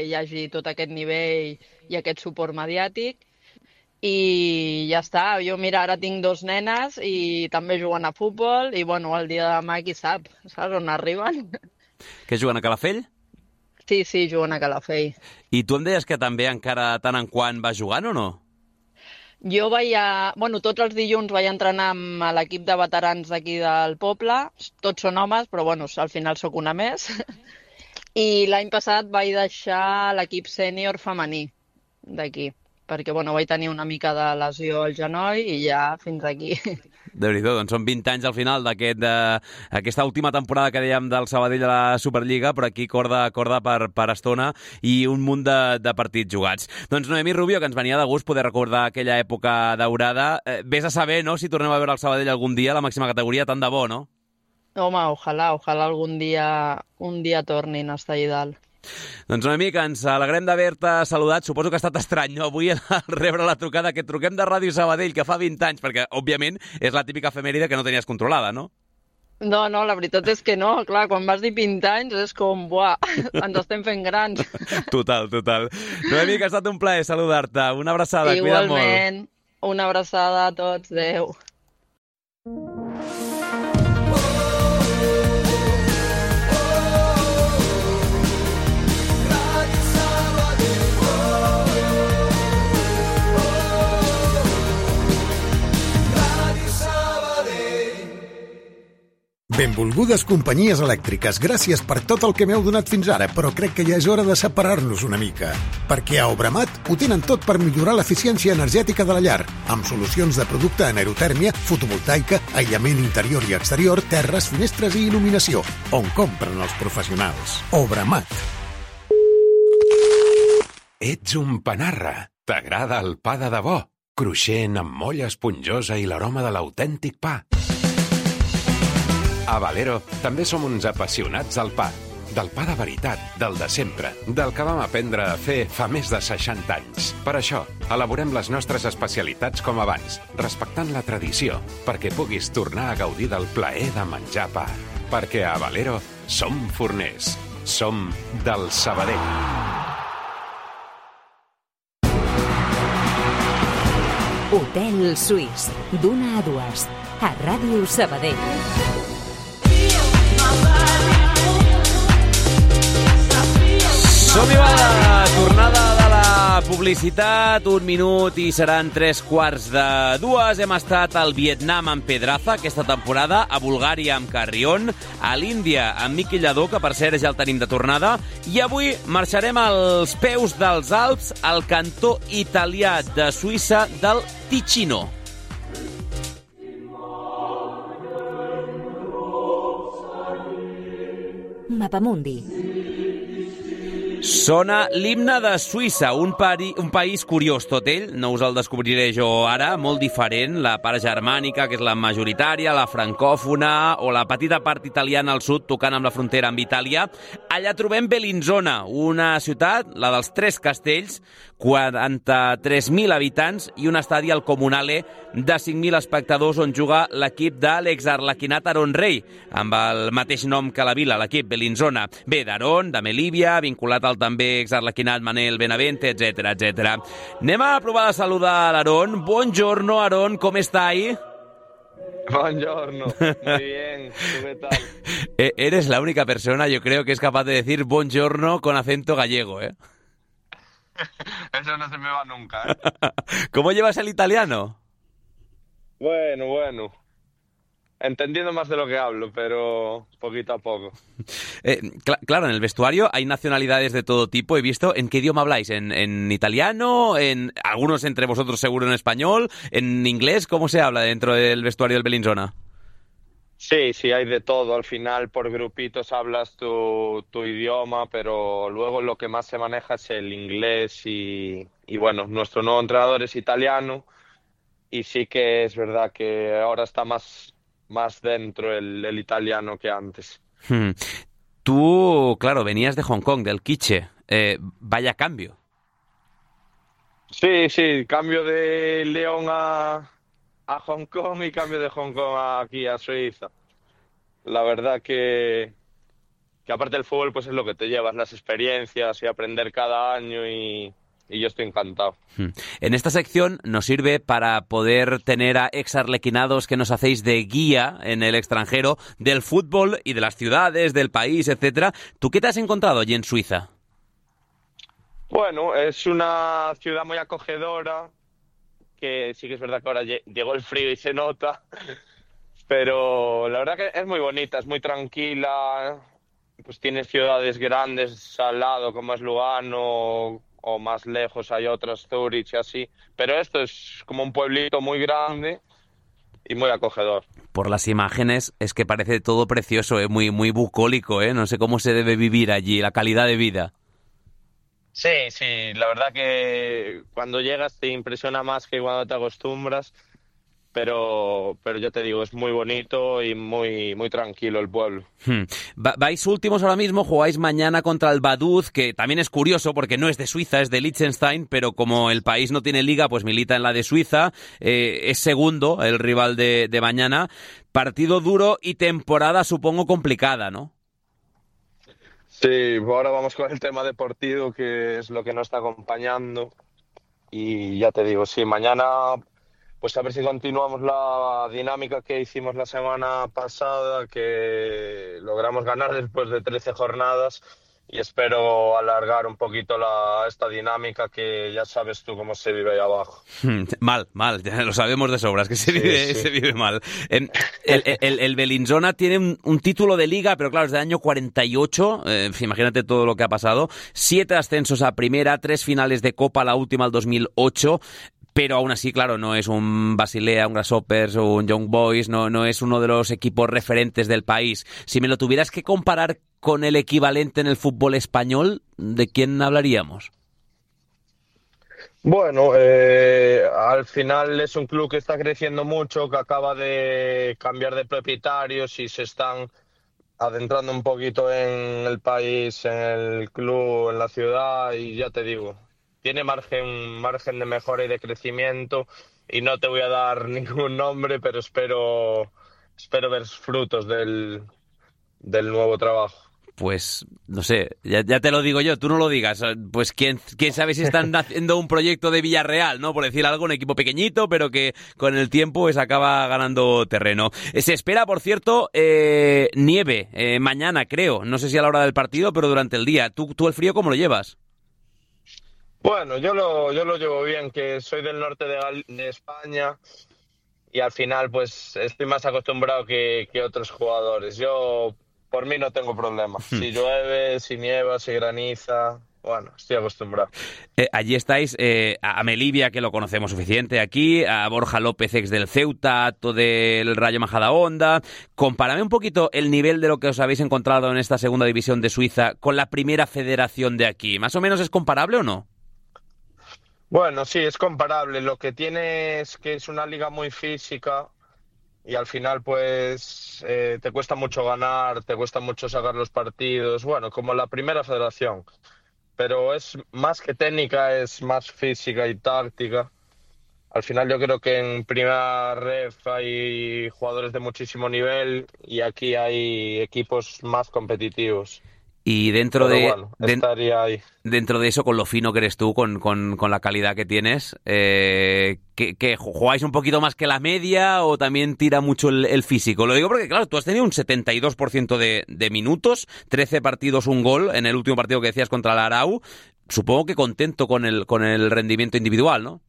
hi hagi tot aquest nivell i aquest suport mediàtic. I ja està. Jo, mira, ara tinc dos nenes i també juguen a futbol i, bueno, el dia de demà qui sap, saps on arriben? Que juguen a Calafell? Sí, sí, juguen a Calafell. I tu em deies que també encara tant en quant vas jugant o no? Jo vaig a... Bueno, tots els dilluns vaig entrenar amb l'equip de veterans d'aquí del poble. Tots són homes, però bueno, al final sóc una més. I l'any passat vaig deixar l'equip sènior femení d'aquí, perquè bueno, vaig tenir una mica de lesió al genoll i ja fins aquí. Déu-n'hi-do, doncs són vint anys al final d'aquesta aquest, última temporada que dèiem del Sabadell a la Superliga, però aquí corda, corda per, per estona i un munt de, de partits jugats. Doncs Noemí Rubio, que ens venia de gust poder recordar aquella època daurada. Eh, vés a saber, no?, si tornem a veure el Sabadell algun dia a la màxima categoria, tant de bo, no? Home, ojalà, ojalà algun dia, un dia tornin a estar allà dalt. Doncs Noemí, que ens alegrem d'haver-te saludat. Suposo que ha estat estrany, no?, avui rebre la trucada que et truquem de Ràdio Sabadell, que fa vint anys, perquè, òbviament, és la típica efemèride que no tenies controlada, no? No, no, la veritat és que no. Clar, quan vas dir vint anys és com, buah, ens estem fent grans. Total, total. Noemi, que ha estat un plaer saludar-te. Una abraçada, cuida't molt. Igualment, una abraçada a tots, adeu. Benvolgudes companyies elèctriques, gràcies per tot el que m'heu donat fins ara, però crec que ja és hora de separar-nos una mica. Perquè a Obramat ho tenen tot per millorar l'eficiència energètica de la llar, amb solucions de producte en aerotèrmia, fotovoltaica, aïllament interior i exterior, terres, finestres i il·luminació, on compren els professionals. Obramat. Ets un panarra. T'agrada el pa de debò? Cruixent, amb molla esponjosa i l'aroma de l'autèntic pa. A Valero també som uns apassionats del pa. Del pa de veritat, del de sempre, del que vam aprendre a fer fa més de seixanta anys. Per això, elaborem les nostres especialitats com abans, respectant la tradició, perquè puguis tornar a gaudir del plaer de menjar pa. Perquè a Valero som forners. Som del Sabadell. Hotel Suís, d'una a dues, a Ràdio Sabadell. Som-hi, va, la tornada de la publicitat, un minut i seran tres quarts de dues. Hem estat al Vietnam amb Pedraza aquesta temporada, a Bulgària amb Carrión, a l'Índia amb Miqui Lladó, que per cert ja el tenim de tornada, i avui marxarem als peus dels Alps, al cantó italià de Suïssa del Ticino. Mapamundi. Sona l'himne de Suïssa, un, pari, un país curiós tot ell, no us el descobriré jo ara, molt diferent, la part germànica, que és la majoritària, la francòfona, o la petita part italiana al sud, tocant amb la frontera amb Itàlia. Allà trobem Bellinzona, una ciutat, la dels Tres Castells, quaranta-tres mil habitants i un estadi al Comunale de cinc mil espectadors on juga l'equip de l'exarlequinat Aron Rei, amb el mateix nom que la vila, l'equip Bellinzona. Bé, d'Aron, de Melívia, vinculat al també exarlequinat Manel Benavente, etcètera, etcètera. Anem a provar de saludar l'Aron. Buongiorno, Aron, com estai? Buongiorno, muy bien, ¿tú qué tal? Eres la única persona, yo creo, que es capaz de decir buongiorno con acento gallego, ¿eh? Eso no se me va nunca, ¿eh? ¿Cómo llevas el italiano? Bueno, bueno. Entendiendo más de lo que hablo, pero poquito a poco. Eh, cl- claro, en el vestuario hay nacionalidades de todo tipo. He visto. ¿En qué idioma habláis? ¿En, en italiano? ¿En algunos entre vosotros seguro en español? ¿En inglés? ¿Cómo se habla dentro del vestuario del Bellinzona? Sí, sí, hay de todo. Al final, por grupitos hablas tu, tu idioma, pero luego lo que más se maneja es el inglés y, y bueno, nuestro nuevo entrenador es italiano y sí que es verdad que ahora está más, más dentro el, el italiano que antes. Hmm. Tú, claro, venías de Hong Kong, del Quiche. Eh, vaya cambio. Sí, sí, cambio de León a... a Hong Kong y cambio de Hong Kong a aquí a Suiza. La verdad que, que aparte del fútbol pues es lo que te llevas, las experiencias y aprender cada año y, y yo estoy encantado. En esta sección nos sirve para poder tener a exarlequinados que nos hacéis de guía en el extranjero del fútbol y de las ciudades, del país, etcétera. ¿Tú qué te has encontrado allí en Suiza? Bueno, es una ciudad muy acogedora, que sí que es verdad que ahora llegó el frío y se nota, pero la verdad que es muy bonita, es muy tranquila, pues tiene ciudades grandes al lado como es Lugano o más lejos hay otras, Zurich y así, pero esto es como un pueblito muy grande y muy acogedor. Por las imágenes es que parece todo precioso, ¿eh? muy, muy bucólico, ¿eh? No sé cómo se debe vivir allí, la calidad de vida. Sí, sí, la verdad que cuando llegas te impresiona más que cuando te acostumbras pero, pero ya te digo, es muy bonito y muy, muy tranquilo el pueblo. Hmm. Va, vais últimos ahora mismo, jugáis mañana contra el Vaduz, que también es curioso porque no es de Suiza, es de Liechtenstein, pero como el país no tiene liga, pues milita en la de Suiza, eh, es segundo el rival de, de mañana. Partido duro y temporada supongo complicada, ¿no? Sí, ahora vamos con el tema deportivo, que es lo que nos está acompañando. Y ya te digo, sí, mañana, pues a ver si continuamos la dinámica que hicimos la semana pasada, que logramos ganar después de trece jornadas, y espero alargar un poquito la, esta dinámica, que ya sabes tú cómo se vive ahí abajo. Mal, mal, ya lo sabemos de sobras, que se, Sí, vive, sí. se vive mal. El, el, el, el Bellinzona tiene un, un título de liga, pero claro, es del año cuarenta y ocho, eh, imagínate todo lo que ha pasado. Siete ascensos a primera, tres finales de Copa, la última el dos mil ocho. Pero aún así, claro, no es un Basilea, un Grasshoppers o un Young Boys, no, no es uno de los equipos referentes del país. Si me lo tuvieras que comparar con el equivalente en el fútbol español, ¿de quién hablaríamos? Bueno, eh, al final es un club que está creciendo mucho, que acaba de cambiar de propietarios y se están adentrando un poquito en el país, en el club, en la ciudad, y ya te digo, tiene margen, margen de mejora y de crecimiento, y no te voy a dar ningún nombre, pero espero, espero ver frutos del, del nuevo trabajo. Pues, no sé, ya, ya te lo digo yo, tú no lo digas. Pues quién, quién sabe si están haciendo un proyecto de Villarreal, ¿no? Por decir algo, un equipo pequeñito, pero que con el tiempo pues acaba ganando terreno. Se espera, por cierto, eh, nieve eh, mañana, creo. No sé si a la hora del partido, pero durante el día. ¿Tú, tú el frío cómo lo llevas? Bueno, yo lo, yo lo llevo bien, que soy del norte de, Gal- de España, y al final pues estoy más acostumbrado que, que otros jugadores. Yo, por mí, no tengo problema. Si llueve, si nieva, si graniza, bueno, estoy acostumbrado. Eh, allí estáis eh, a Melivia, que lo conocemos suficiente aquí, a Borja López, ex del Ceuta, Ato del Rayo Majadahonda. Compárame un poquito el nivel de lo que os habéis encontrado en esta segunda división de Suiza con la primera federación de aquí. ¿Más o menos es comparable o no? Bueno, sí, es comparable. Lo que tiene es que es una liga muy física, y al final pues eh, te cuesta mucho ganar, te cuesta mucho sacar los partidos, bueno, como la primera federación. Pero es más que técnica, es más física y táctica. Al final yo creo que en primera ref hay jugadores de muchísimo nivel, y aquí hay equipos más competitivos. Y dentro Pero de, bueno, de- estaría ahí. dentro de eso, con lo fino que eres tú, con, con, con la calidad que tienes, eh, ¿que, que jugáis un poquito más que la media o también tira mucho el, el físico? Lo digo porque, claro, tú has tenido un setenta y dos por ciento de, de minutos, trece partidos, un gol en el último partido que decías contra el Arau. Supongo que contento con el, con el rendimiento individual, ¿no?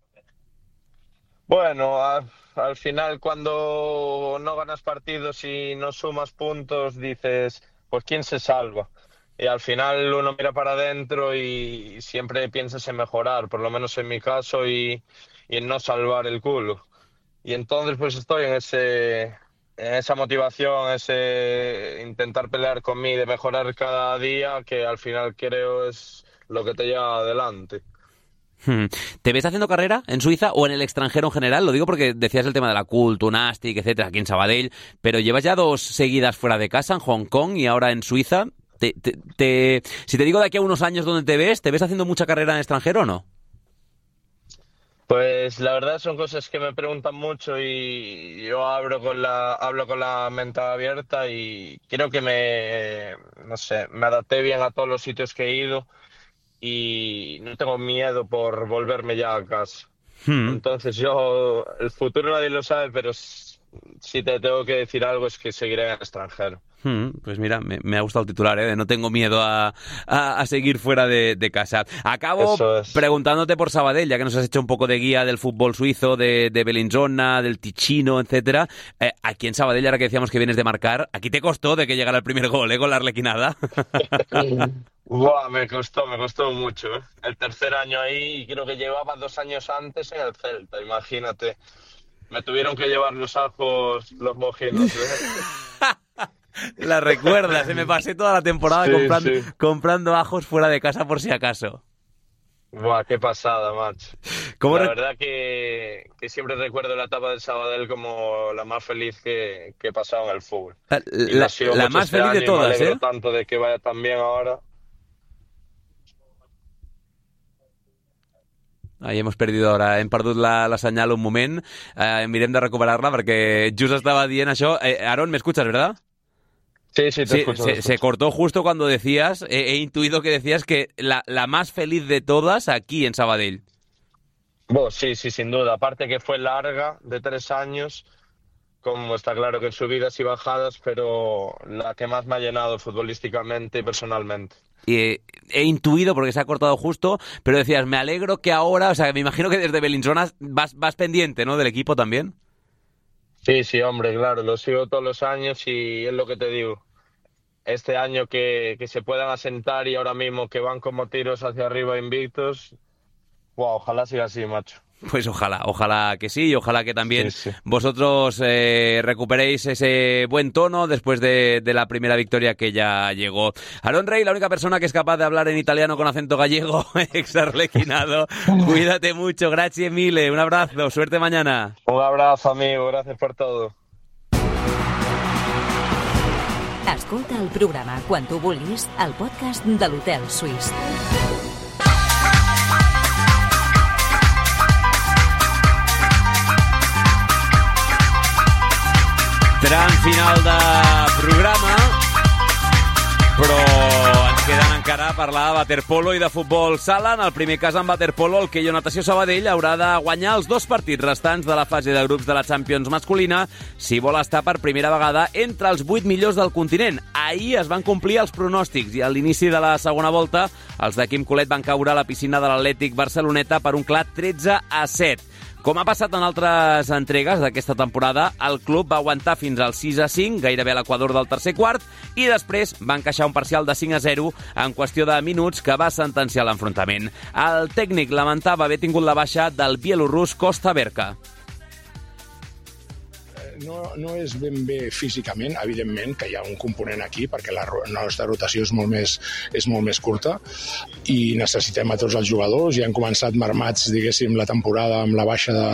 Bueno, a- al final cuando no ganas partidos y no sumas puntos, dices, pues ¿quién se salva? Y al final uno mira para adentro y siempre piensas en mejorar, por lo menos en mi caso, y, y en no salvar el culo. Y entonces pues estoy en ese, en esa motivación, ese intentar pelear con mí, de mejorar cada día, que al final creo es lo que te lleva adelante. Hmm. ¿Te ves haciendo carrera en Suiza o en el extranjero en general? Lo digo porque decías el tema de la Cult, Tunastic, etcétera, aquí en Sabadell, pero llevas ya dos seguidas fuera de casa, en Hong Kong y ahora en Suiza. Te, te, te, si te digo de aquí a unos años dónde te ves, ¿te ves haciendo mucha carrera en extranjero o no? Pues la verdad son cosas que me preguntan mucho, y yo hablo con la, hablo con la mente abierta, y creo que me, no sé, me adapté bien a todos los sitios que he ido, y no tengo miedo por volverme ya a casa. Hmm. Entonces yo, el futuro nadie lo sabe, pero s- si te tengo que decir algo es que seguiré en el extranjero. Hmm, pues mira, me, me ha gustado el titular, ¿eh? De no tengo miedo a, a, a seguir fuera de, de casa. Acabo Eso es. preguntándote por Sabadell, ya que nos has hecho un poco de guía del fútbol suizo, de, de Bellinzona, del Ticino, etcétera. Eh, aquí en Sabadell, ahora que decíamos que vienes de marcar, aquí te costó de que llegara el primer gol, ¿eh? Con la arlequinada. Buah, me costó, me costó mucho, ¿eh? El tercer año ahí, y creo que llevaba dos años antes en el Celta, imagínate. Me tuvieron que llevar los ajos, los mojinos, ¿eh? La recuerdas, ¿eh? Me pasé toda la temporada Sí, comprando, sí. comprando ajos fuera de casa por si acaso. Buah, qué pasada, macho. ¿Cómo la re- verdad que, que siempre recuerdo la etapa del Sabadell como la más feliz que, que he pasado en el fútbol. La, Y lo ha sido la mucho más este feliz de año y todas, me alegro ¿eh? tanto de que vaya tan bien ahora. Ahí hemos perdido ara, hem perdut la, la senyal un moment, eh, mirem de recuperar-la perquè just estava dient això. Eh, Aaron, ¿me escuchas, verdad? Sí, sí, te Sí, escucho, se, te se escucho. cortó justo cuando decías, he, he intuido que decías que la, la más feliz de todas aquí en Sabadell. Bueno, sí, sí, sin duda. Aparte que fue larga, de tres años, como está claro que en subidas y bajadas, pero la que más me ha llenado futbolísticamente y personalmente. Y he intuido, porque se ha cortado justo, pero decías, me alegro que ahora, o sea, me imagino que desde Bellinzona vas, vas pendiente, ¿no?, del equipo también. Sí, sí, hombre, claro, lo sigo todos los años y es lo que te digo. Este año que, que se puedan asentar y ahora mismo que van como tiros hacia arriba invictos, wow, ojalá siga así, macho. Pues ojalá, ojalá que sí, y ojalá que también Sí, sí. vosotros eh, recuperéis ese buen tono después de, de la primera victoria que ya llegó. Aaron Rey, la única persona que es capaz de hablar en italiano con acento gallego, exarlequinado. Cuídate mucho, grazie mille, un abrazo, suerte mañana. Un abrazo, amigo, gracias por todo. Escolta el programa quan tu vulguis al podcast de l'Hotel Suís. Tram final de programa, però ens queden encara a parlar de waterpolo i de futbol sala. En el primer cas, en waterpolo, el Keio Natació Sabadell haurà de guanyar els dos partits restants de la fase de grups de la Champions masculina si vol estar per primera vegada entre els vuit millors del continent. Ahir es van complir els pronòstics i a l'inici de la segona volta els de Quim Colet van caure a la piscina de l'Atlètic Barceloneta per un clar tretze a set. Com ha passat en altres entregues d'aquesta temporada, el club va aguantar fins al sis a cinc, gairebé a l'equador del tercer quart, i després va encaixar un parcial de cinc a zero en qüestió de minuts que va sentenciar l'enfrontament. El tècnic lamentava haver tingut la baixa del bielorrús Kosta Berka. No, no és ben bé físicament, evidentment, que hi ha un component aquí, perquè la, la nostra rotació és molt, més, és molt més curta i necessitem a tots els jugadors. Ja han començat marmats, diguéssim, la temporada amb la baixa de,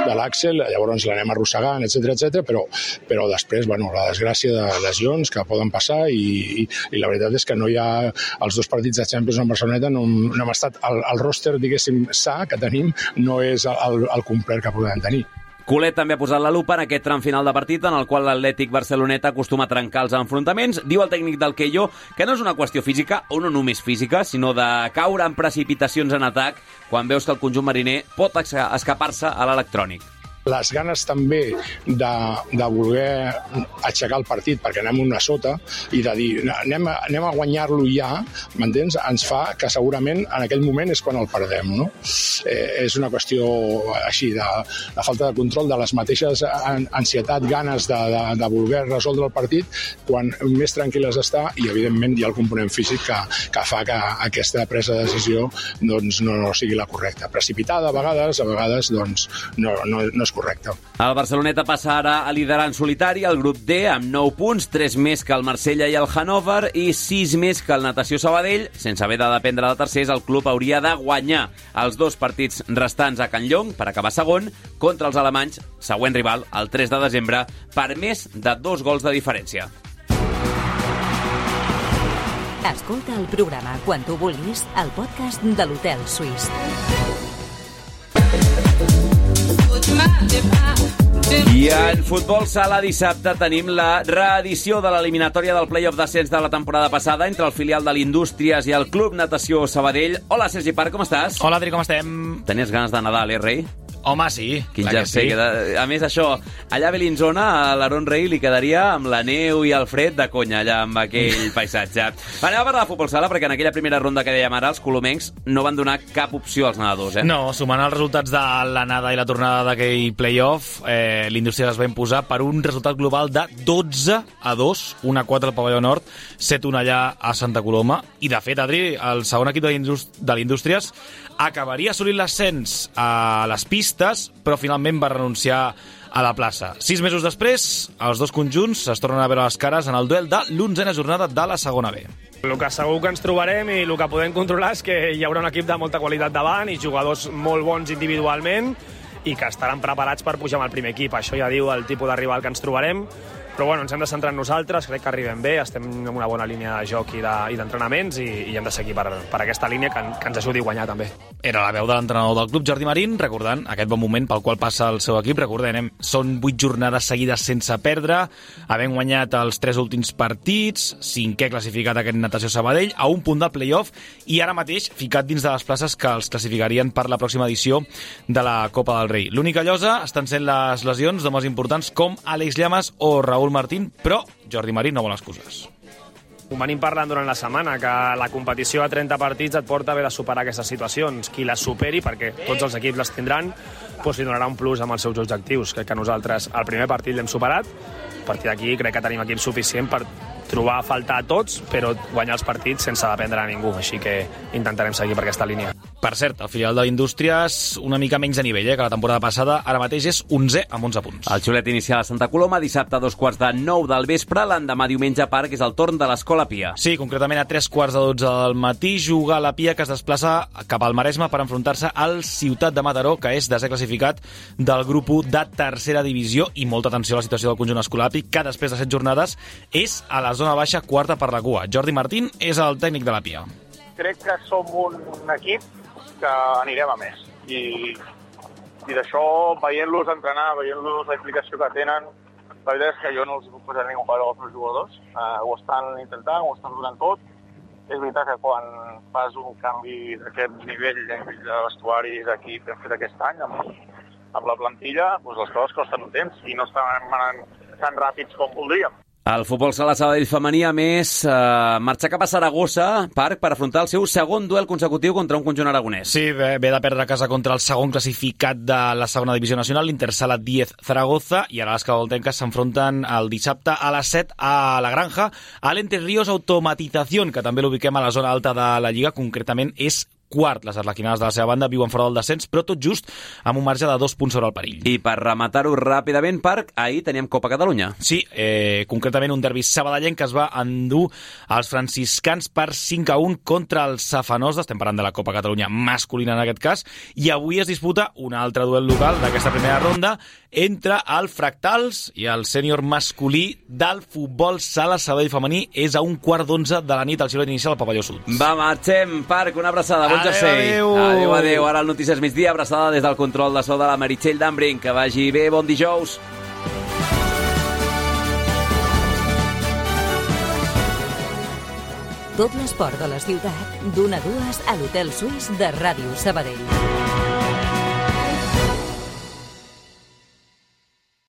de l'Àxel, llavors l'anem arrossegant, etcètera, etcètera, però, però després, bueno, la desgràcia de lesions que poden passar i, i, i la veritat és que no hi ha els dos partits de Champions en Barceloneta, no, no hem estat, el, el roster, diguéssim, sa que tenim no és el, el complet que podem tenir. Colet també ha posat la lupa en aquest tram final de partit en el qual l'Atlètic Barceloneta acostuma a trencar els enfrontaments. Diu el tècnic del Keio que no és una qüestió física, o no només física, sinó de caure en precipitacions en atac quan veus que el conjunt mariner pot escapar-se a l'electrònic. Les ganes també de, de voler aixecar el partit perquè anem una sota i de dir anem a, anem a guanyar-lo ja, m'entens? Ens fa que segurament en aquell moment és quan el perdem, no? Eh, és una qüestió així de la falta de control de les mateixes ansietat, ganes de, de, de voler resoldre el partit quan més tranquil·les està i evidentment hi ha el component físic que, que fa que aquesta presa de decisió doncs, no, no sigui la correcta. Precipitada a vegades, a vegades doncs, no, no, no és correcte. El Barceloneta passa ara a liderar en solitari el grup D amb nou punts, tres més que el Marsella i el Hannover i sis més que el Natació Sabadell. Sense haver de dependre de tercers, el club hauria de guanyar els dos partits restants a Can Llong per acabar segon contra els alemanys, següent rival, el tres de desembre, per més de dos gols de diferència. Escolta el programa quan tu vulguis al podcast de l'Hotel Suís. I en futbol sala dissabte tenim la reedició de l'eliminatòria del play-off d'ascens de la temporada passada entre el filial de l'Indústries i el Club Natació Sabadell. Hola, Sergi Parc, com estàs? Hola, Adri, com estem? Tenies ganes de Nadal, eh, rei? Home, sí. Quin jersei. Sí. A més, això, allà a Bellinzona, a l'Aaron Rey li quedaria amb la neu i el fred de conya, allà amb aquell paisatge. Anem a parlar de futbol sala, perquè en aquella primera ronda que dèiem ara, els colomencs no van donar cap opció als nedadors, eh? No, sumant els resultats de l'anada i la tornada d'aquell play-off, eh, l'Indústria es va imposar per un resultat global de dotze a dos, un a quatre al Pavelló Nord, set a un allà a Santa Coloma, i de fet, Adri, el segon equip de l'Indústries acabaria assolint l'ascens a les pistes, però finalment va renunciar a la plaça. Sis mesos després, els dos conjunts es tornen a veure les cares en el duel de l'onzena jornada de la segona B. El que segur que ens trobarem i el que podem controlar és que hi haurà un equip de molta qualitat davant i jugadors molt bons individualment i que estaran preparats per pujar amb el primer equip. Això ja diu el tipus de rival que ens trobarem, però bueno, ens hem de centrar en nosaltres, crec que arribem bé, estem en una bona línia de joc i d'entrenaments i, i hem de seguir per, per aquesta línia que, que ens ajudi a guanyar també. Era la veu de l'entrenador del club, Jordi Marín, recordant aquest bon moment pel qual passa el seu equip. Recordem, són vuit jornades seguides sense perdre, havent guanyat els tres últims partits, cinquè classificat aquest Natació Sabadell, a un punt del play-off i ara mateix ficat dins de les places que els classificarien per la pròxima edició de la Copa del Rei. L'única llosa estan sent les lesions d'homes importants com Àlex Llamas o Raúl Martín, però Jordi Marín no vol excuses. Ho venim parlant durant la setmana, que la competició a trenta partits et porta a haver de superar aquestes situacions. Qui les superi, perquè tots els equips les tindran, doncs li donarà un plus amb els seus objectius. Crec que nosaltres el primer partit l'hem superat, a partir d'aquí crec que tenim equip suficient per trobar a faltar a tots, però guanyar els partits sense dependre de ningú, així que intentarem seguir per aquesta línia. Per cert, el filial d'Indústries una mica menys de nivell, eh, que la temporada passada, ara mateix és onzè amb onze punts. El xulet inicial a Santa Coloma, dissabte a dos quarts de nou del vespre, l'endemà diumenge a Parc és el torn de l'Escola Pia. Sí, concretament a tres quarts de dotze del matí juga la Pia, que es desplaça cap al Maresme per enfrontar-se al Ciutat de Mataró, que és desè classificat del grup u de tercera divisió, i molta atenció a la situació del conjunt escolàpic, que després de set jornades és a la zona baixa, quarta per la cua. Jordi Martín és el tècnic de la Pia. Crec que som un equip que anirem a més. I, i d'això, veient-los entrenar, veient-los la implicació que tenen, la veritat és que jo no els puc posar ningú per als meus jugadors. Uh, ho estan intentant, ho estan donant tot. És veritat que quan fas un canvi d'aquest nivell de vestuari d'equip que hem fet aquest any, amb, amb la plantilla, doncs les coses costen un temps i no estan anant tan ràpids com voldríem. El futbol sala Sabadell femení, a més, eh, marxa cap a Saragossa, Parc, per afrontar el seu segon duel consecutiu contra un conjunt aragonès. Sí, ve, ve de perdre a casa contra el segon classificat de la segona divisió nacional, l'Intersala diez Zaragoza, i ara les cabaltenques s'enfronten el dissabte a les set a la Granja, a l'Ente Ríos Automatización, que també l'ubiquem a la zona alta de la Lliga, concretament és quart. Les arlequinades de la seva banda viuen fora del descens, però tot just amb un marge de dos punts sobre el perill. I per rematar-ho ràpidament, Parc, ahir teníem Copa Catalunya. Sí, eh, concretament un derbi sabadellenc que es va endur als franciscans per cinc a un contra el Safanós, estem parlant de la Copa Catalunya masculina en aquest cas, i avui es disputa un altre duel local d'aquesta primera ronda entre el Fractals i el sènior masculí del futbol sala Sabadell femení. És a un quart d'onze de la nit al xiulet inicial al Pavelló Sud. Va, marxem, Parc, una abraçada. Bon jersei. Adéu, adéu, adéu. Ara el Notícies Migdia, abraçada des del control de so de la Meritxell Dambrin. Que vagi bé, bon dijous. Tot l'esport de la ciutat, d'una a dues a l'Hotel Suís de Ràdio Sabadell.